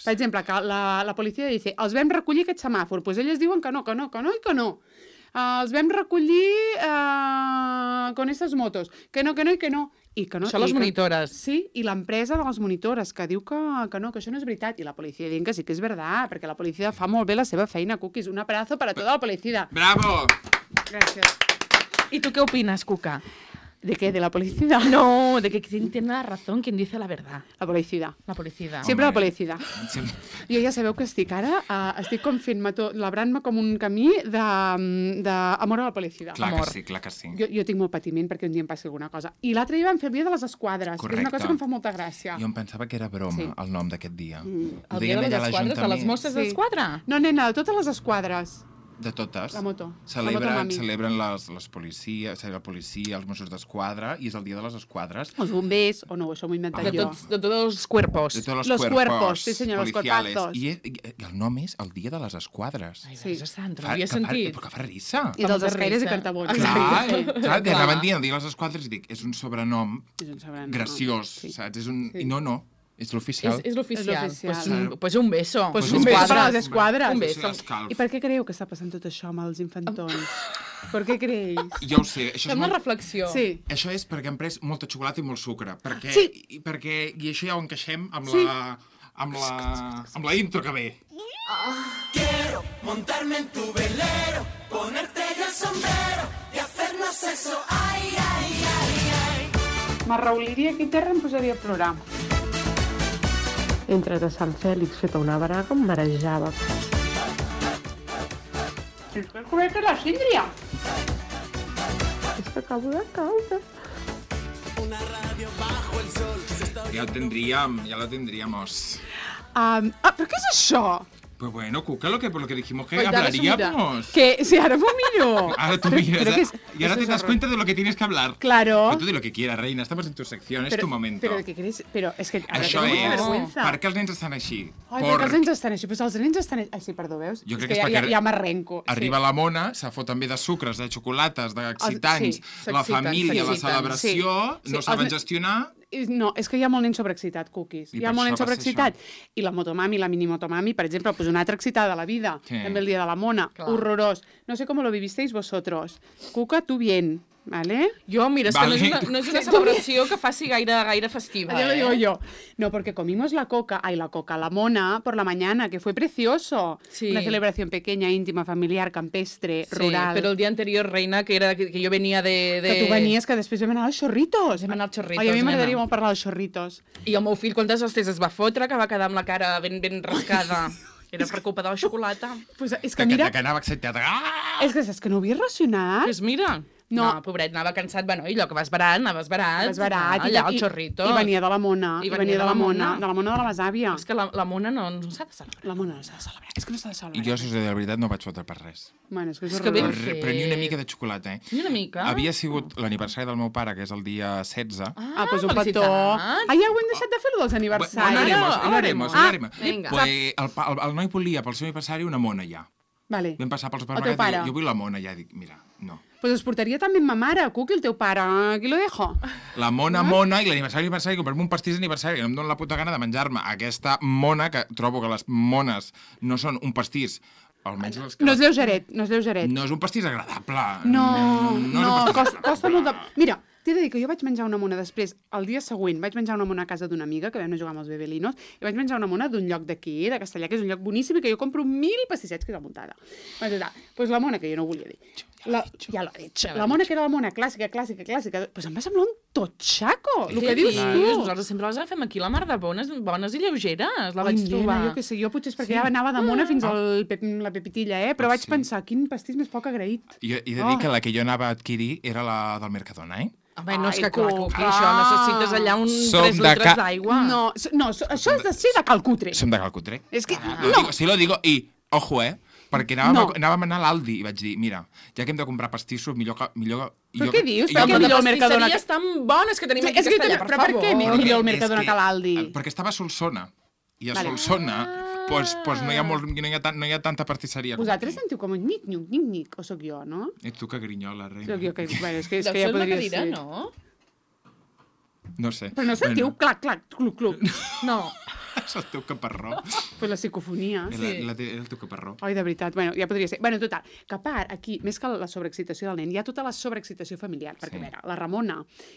[SPEAKER 2] Per exemple, que la, la policia dice, els vam recollir aquest semàfor, doncs elles diuen que no, que no, que no i que no. Uh, els vam recollir uh, con estas motos, que no, que no i que no. I que no
[SPEAKER 3] Això les
[SPEAKER 2] i que-
[SPEAKER 3] monitores.
[SPEAKER 2] Sí, i l'empresa de les monitores, que diu que, que no, que això no és veritat. I la policia diu que sí que és veritat, perquè la policia fa molt bé la seva feina, Cookies. Un abrazo per a tota la policia.
[SPEAKER 1] Bravo!
[SPEAKER 2] Gràcies.
[SPEAKER 3] ¿Y tú qué opinas, Cuca?
[SPEAKER 2] ¿De qué? ¿De la policía?
[SPEAKER 3] No, de que quien tiene la razón, quien dice la verdad.
[SPEAKER 2] La policía.
[SPEAKER 3] La policía.
[SPEAKER 2] Sempre la
[SPEAKER 1] Home.
[SPEAKER 2] policía.
[SPEAKER 1] Sempre-
[SPEAKER 2] Jo ja sabeu que estic ara, uh, estic com fent-me tot, labrant-me com un camí d'amor a la policia.
[SPEAKER 1] Clar
[SPEAKER 3] Amor.
[SPEAKER 1] que sí, clar que sí.
[SPEAKER 2] Jo, jo tinc molt patiment perquè un dia em passi alguna cosa. I l'altre dia vam fer el dia de les esquadres, que és
[SPEAKER 1] Correcte.
[SPEAKER 2] una cosa que em fa molta gràcia.
[SPEAKER 1] Jo em pensava que era broma,
[SPEAKER 2] Sí.
[SPEAKER 1] el nom d'aquest dia.
[SPEAKER 2] Mm.
[SPEAKER 1] Ho
[SPEAKER 3] El dia
[SPEAKER 1] deien
[SPEAKER 3] de
[SPEAKER 1] allà
[SPEAKER 3] les
[SPEAKER 1] a
[SPEAKER 3] esquadres, de les
[SPEAKER 1] l'Ajuntament.
[SPEAKER 3] Mosses
[SPEAKER 2] Sí.
[SPEAKER 3] d'Esquadra.
[SPEAKER 2] No, nena, de totes les esquadres.
[SPEAKER 1] De totes.
[SPEAKER 2] La moto. La
[SPEAKER 1] Celebren,
[SPEAKER 2] moto mami.
[SPEAKER 1] celebren les, les policies, la policia, els Mossos d'Esquadra, i és el dia de les esquadres.
[SPEAKER 2] Els bombers, o no, això m'ho he inventat
[SPEAKER 3] De,
[SPEAKER 2] jo.
[SPEAKER 3] tots, de tots els cuerpos.
[SPEAKER 1] De tots els
[SPEAKER 2] Los
[SPEAKER 1] cuerpos,
[SPEAKER 2] cuerpos, sí, senyor, los
[SPEAKER 1] policiales.
[SPEAKER 2] cuerpazos.
[SPEAKER 1] I, i, I el nom és el dia de les esquadres.
[SPEAKER 3] Ai,
[SPEAKER 2] Sí.
[SPEAKER 3] Verge Santa, no
[SPEAKER 1] Fa-
[SPEAKER 3] havia
[SPEAKER 1] que fa-
[SPEAKER 3] sentit.
[SPEAKER 1] Però que fa risa.
[SPEAKER 2] I dels
[SPEAKER 3] Fa molta
[SPEAKER 2] escaires i
[SPEAKER 3] risa.
[SPEAKER 2] cartabons.
[SPEAKER 1] Clar,
[SPEAKER 2] Sí.
[SPEAKER 1] clar, que
[SPEAKER 3] Clar.
[SPEAKER 1] anaven dient el dia de les esquadres i dic, és un sobrenom
[SPEAKER 2] És un sobrenom.
[SPEAKER 1] graciós,
[SPEAKER 2] Sí.
[SPEAKER 1] saps? És un...
[SPEAKER 2] Sí.
[SPEAKER 1] I no, no, és l'oficial.
[SPEAKER 3] És, és l'oficial.
[SPEAKER 2] És l'oficial.
[SPEAKER 3] Pues, un, pues un beso.
[SPEAKER 2] Pues
[SPEAKER 1] Pues
[SPEAKER 2] un
[SPEAKER 1] un
[SPEAKER 2] beso
[SPEAKER 1] beso.
[SPEAKER 2] per a les esquadres.
[SPEAKER 3] Un
[SPEAKER 1] Un
[SPEAKER 3] beso.
[SPEAKER 1] beso.
[SPEAKER 2] I per què creieu que està passant tot això amb els infantons? ¿Por qué creéis?
[SPEAKER 1] Jo ho sé, això és,
[SPEAKER 3] Fem una
[SPEAKER 1] molt...
[SPEAKER 3] reflexió.
[SPEAKER 2] Sí.
[SPEAKER 1] això és perquè hem pres molta xocolata i molt sucre. Perquè,
[SPEAKER 2] Sí.
[SPEAKER 1] i, perquè, I això ja ho encaixem amb,
[SPEAKER 2] Sí.
[SPEAKER 1] la, amb, la, amb la intro que ve.
[SPEAKER 4] Quiero montarme en tu velero, ponerte yo el sombrero y hacernos eso, ay, ay, ay, ay.
[SPEAKER 2] M'arrauliria aquí a terra i em posaria a plorar.
[SPEAKER 5] Entre de Sant Fèlix feta una braga em marejava.
[SPEAKER 2] És que és com que la síndria.
[SPEAKER 5] És que acabo de caure.
[SPEAKER 4] Una radio bajo el sol.
[SPEAKER 1] Ja ho tindríem, ja lo tindríamos.
[SPEAKER 2] Um, ah, però què és això?
[SPEAKER 1] Pues bueno, Cuca, lo que, por lo que dijimos que
[SPEAKER 3] Pues dale su
[SPEAKER 1] hablaríamos.
[SPEAKER 2] Que si ara m'ho miro.
[SPEAKER 1] Ahora tú
[SPEAKER 2] Pero-
[SPEAKER 1] miras,
[SPEAKER 2] pero
[SPEAKER 1] ¿eh?
[SPEAKER 2] que es-
[SPEAKER 1] y ahora
[SPEAKER 2] eso
[SPEAKER 1] te
[SPEAKER 2] es
[SPEAKER 1] das
[SPEAKER 2] horror.
[SPEAKER 1] cuenta de lo que tienes que hablar.
[SPEAKER 2] Claro.
[SPEAKER 1] Pero tú di lo que quieras, reina, estamos en tu sección, es tu momento.
[SPEAKER 2] Però, què creus? Però és que ara
[SPEAKER 1] Això
[SPEAKER 2] tengo mucha
[SPEAKER 1] és,
[SPEAKER 2] vergüenza.
[SPEAKER 1] per què els nens estan així?
[SPEAKER 2] Ai, perquè els nens estan així. Pues els nens estan així. Ai, sí, perdó, veus?
[SPEAKER 1] Jo crec
[SPEAKER 2] és
[SPEAKER 1] que és
[SPEAKER 2] ja,
[SPEAKER 1] perquè
[SPEAKER 2] ja, ja m'arrenco.
[SPEAKER 1] Arriba la mona, se fot també de sucres, de xocolates, d'excitants,
[SPEAKER 2] sí,
[SPEAKER 1] la
[SPEAKER 3] s'exciten,
[SPEAKER 1] família, la
[SPEAKER 3] s'exciten.
[SPEAKER 1] celebració,
[SPEAKER 2] Sí,
[SPEAKER 1] no
[SPEAKER 2] sí,
[SPEAKER 1] saben
[SPEAKER 2] els-
[SPEAKER 1] gestionar...
[SPEAKER 2] Sí. No, és que hi ha molt nen sobreexcitat, cookies.
[SPEAKER 1] I
[SPEAKER 2] Hi ha
[SPEAKER 1] per
[SPEAKER 2] molt nen
[SPEAKER 1] això va ser
[SPEAKER 2] sobreexcitat. I la motomami, la minimotomami, per exemple, pues una altra excitada de la vida.
[SPEAKER 1] Sí.
[SPEAKER 2] També el dia de la mona.
[SPEAKER 3] Clar.
[SPEAKER 2] Horrorós. No sé cómo lo vivisteis vosotros. Cuca, tu bien, ¿vale?
[SPEAKER 3] Jo, mira, és
[SPEAKER 1] Vale.
[SPEAKER 3] que no és, una, no és una celebració que faci gaire, gaire festiva,
[SPEAKER 2] Ya lo
[SPEAKER 3] eh?
[SPEAKER 2] digo yo. No, porque comimos la coca, ay, la coca, la mona por la mañana, que fue precioso.
[SPEAKER 3] Sí.
[SPEAKER 2] Una celebración pequeña, íntima, familiar, campestre,
[SPEAKER 3] Sí,
[SPEAKER 2] rural.
[SPEAKER 3] però el dia anterior, reina, que era que, que jo venia de... de...
[SPEAKER 2] Que tu venies, que després vam anar als xorritos.
[SPEAKER 3] Vam anar als xorritos,
[SPEAKER 2] Ai, a mi
[SPEAKER 3] nena.
[SPEAKER 2] m'agradaria molt parlar dels xorritos.
[SPEAKER 3] I el meu fill, quantes hostes es va fotre, que va quedar amb la cara ben, ben rascada. Era per culpa de la xocolata.
[SPEAKER 2] Pues és
[SPEAKER 1] De
[SPEAKER 2] que
[SPEAKER 1] que,
[SPEAKER 2] mira,
[SPEAKER 1] de que anava excitat. Ah!
[SPEAKER 2] és que saps que no ho havia racionat.
[SPEAKER 3] Pues mira,
[SPEAKER 2] No.
[SPEAKER 3] no, pobret, anava cansat, bueno, i allò que vas barat, anaves barat.
[SPEAKER 2] Vas barat.
[SPEAKER 3] allà al xorrito.
[SPEAKER 2] I venia de la mona. I venia de la mona. De la mona de la besàvia.
[SPEAKER 3] És que la, la mona no, no s'ha de celebrar.
[SPEAKER 2] La mona no s'ha de celebrar. És que no s'ha de
[SPEAKER 1] I
[SPEAKER 2] celebrar.
[SPEAKER 1] jo, si us he de dir la veritat, no vaig fotre per res.
[SPEAKER 2] Bueno, és que és,
[SPEAKER 3] És que ben
[SPEAKER 2] horrorós.
[SPEAKER 1] Per,
[SPEAKER 3] fet.
[SPEAKER 1] però ni una mica de xocolata, eh?
[SPEAKER 3] Ni una mica.
[SPEAKER 1] Havia sigut l'aniversari del meu pare, que és el dia setze.
[SPEAKER 2] Ah, pues un
[SPEAKER 3] felicitats.
[SPEAKER 2] petó. Ah, ja ho hem deixat de fer, lo dels
[SPEAKER 1] Bueno,
[SPEAKER 2] aniversaris.
[SPEAKER 1] no haremos,
[SPEAKER 3] Ara,
[SPEAKER 1] no haremos, no
[SPEAKER 2] Ah,
[SPEAKER 1] haremos.
[SPEAKER 3] vinga.
[SPEAKER 1] Pues el, pa- el, el noi volia pel seu aniversari una mona ja.
[SPEAKER 2] Vale.
[SPEAKER 1] Vam passar pels
[SPEAKER 2] teu
[SPEAKER 1] supermercats
[SPEAKER 2] pare?
[SPEAKER 1] i dic, jo vull la mona ja. Dic, mira, no.
[SPEAKER 2] Pues us portaria també ma mare, Cuqui, el teu pare. Aquí lo dejo.
[SPEAKER 1] La mona, mona, i l'aniversari, aniversari, comprar-me un pastís d'aniversari, que no em dóna la puta gana de menjar-me aquesta mona, que trobo que les mones no són un pastís, almenys les que...
[SPEAKER 2] No és lleugeret, no és lleugeret.
[SPEAKER 1] No és un pastís agradable.
[SPEAKER 2] No,
[SPEAKER 1] és un
[SPEAKER 2] no,
[SPEAKER 1] pastís
[SPEAKER 2] costa, costa molt de...
[SPEAKER 1] agradable.
[SPEAKER 2] Mira, t'he de dir que jo vaig menjar una mona després, el dia següent, vaig menjar una mona a casa d'una amiga, que vam anar a jugar amb els bebelinos, i vaig menjar una mona d'un lloc d'aquí, de Castellà, que és un lloc boníssim, i que jo compro mil pastissets, que és a Muntada. Doncs total, pues la mona, que jo no volia dir. La, ja l'ha dit.
[SPEAKER 3] Ja l'ha
[SPEAKER 2] La mona que era la mona clàssica, clàssica, clàssica, pues em va semblar un totxaco, el
[SPEAKER 3] Què
[SPEAKER 2] que dius
[SPEAKER 3] dius?
[SPEAKER 2] tu.
[SPEAKER 3] Nosaltres sempre les agafem aquí, la mar de bones, bones i lleugeres. La
[SPEAKER 2] Ai,
[SPEAKER 3] vaig
[SPEAKER 2] nena,
[SPEAKER 3] trobar.
[SPEAKER 2] jo què sé, jo potser és perquè ja anava de mona fins al pep, la pepitilla, eh? Però
[SPEAKER 1] Ah,
[SPEAKER 2] vaig
[SPEAKER 1] sí.
[SPEAKER 2] pensar, quin pastís més poc agraït.
[SPEAKER 1] Jo he de dir
[SPEAKER 2] Oh.
[SPEAKER 1] que la que jo anava a adquirir era la del Mercadona, eh?
[SPEAKER 3] Home, no és
[SPEAKER 2] Ai,
[SPEAKER 3] que clar,
[SPEAKER 2] Cuca.
[SPEAKER 3] que això necessites allà un
[SPEAKER 1] Som
[SPEAKER 3] tres
[SPEAKER 1] de
[SPEAKER 3] litres
[SPEAKER 1] ca-
[SPEAKER 3] d'aigua.
[SPEAKER 2] No, s- no, s- això és de ser de calcutre.
[SPEAKER 1] Som de Calcutre.
[SPEAKER 2] És que,
[SPEAKER 1] Lo
[SPEAKER 2] no,
[SPEAKER 1] digo, sí lo digo, i, ojo, eh? Perquè anàvem,
[SPEAKER 2] No.
[SPEAKER 1] a, anàvem a anar a l'Aldi i vaig dir, mira, ja que hem de comprar pastissos, millor que... Millor,
[SPEAKER 2] Però
[SPEAKER 1] jo
[SPEAKER 2] què
[SPEAKER 1] que-
[SPEAKER 2] dius?
[SPEAKER 1] jo
[SPEAKER 2] Per què
[SPEAKER 1] que-
[SPEAKER 2] millor el Mercadona
[SPEAKER 3] Les pastisseries tan bones que tenim
[SPEAKER 2] Sí,
[SPEAKER 3] aquí a
[SPEAKER 2] és que,
[SPEAKER 3] Castellà,
[SPEAKER 2] però
[SPEAKER 3] per
[SPEAKER 2] per
[SPEAKER 3] favor.
[SPEAKER 2] què millor el
[SPEAKER 1] És
[SPEAKER 2] Mercadona que l'Aldi?
[SPEAKER 1] eh, Perquè estava a Solsona. I a
[SPEAKER 2] Vale.
[SPEAKER 1] Solsona, pues, pues no, hi ha molt, no, hi ha tan, no hi ha tanta pastisseria. com
[SPEAKER 2] Vosaltres
[SPEAKER 1] aquí.
[SPEAKER 2] sentiu com un nic-nic, nic-nic, o sóc jo, no?
[SPEAKER 1] Ets tu que grinyola, reina.
[SPEAKER 2] Sóc jo que... Bueno, és que, és
[SPEAKER 3] Deu
[SPEAKER 2] que ja
[SPEAKER 3] ser una
[SPEAKER 2] podria
[SPEAKER 3] cadira,
[SPEAKER 2] ser.
[SPEAKER 3] no?
[SPEAKER 1] No sé.
[SPEAKER 2] Però no sentiu clac, clac, cluc, cluc.
[SPEAKER 3] No.
[SPEAKER 1] És el teu caparró.
[SPEAKER 2] Pues la psicofonia.
[SPEAKER 1] Sí. La, la, era el teu caparró.
[SPEAKER 2] Ai, de veritat, bueno, ja podria ser. Bueno, total, que a part, aquí, més que la sobreexcitació del nen, hi ha tota la sobreexcitació familiar, perquè,
[SPEAKER 1] Sí.
[SPEAKER 2] a veure, la Ramona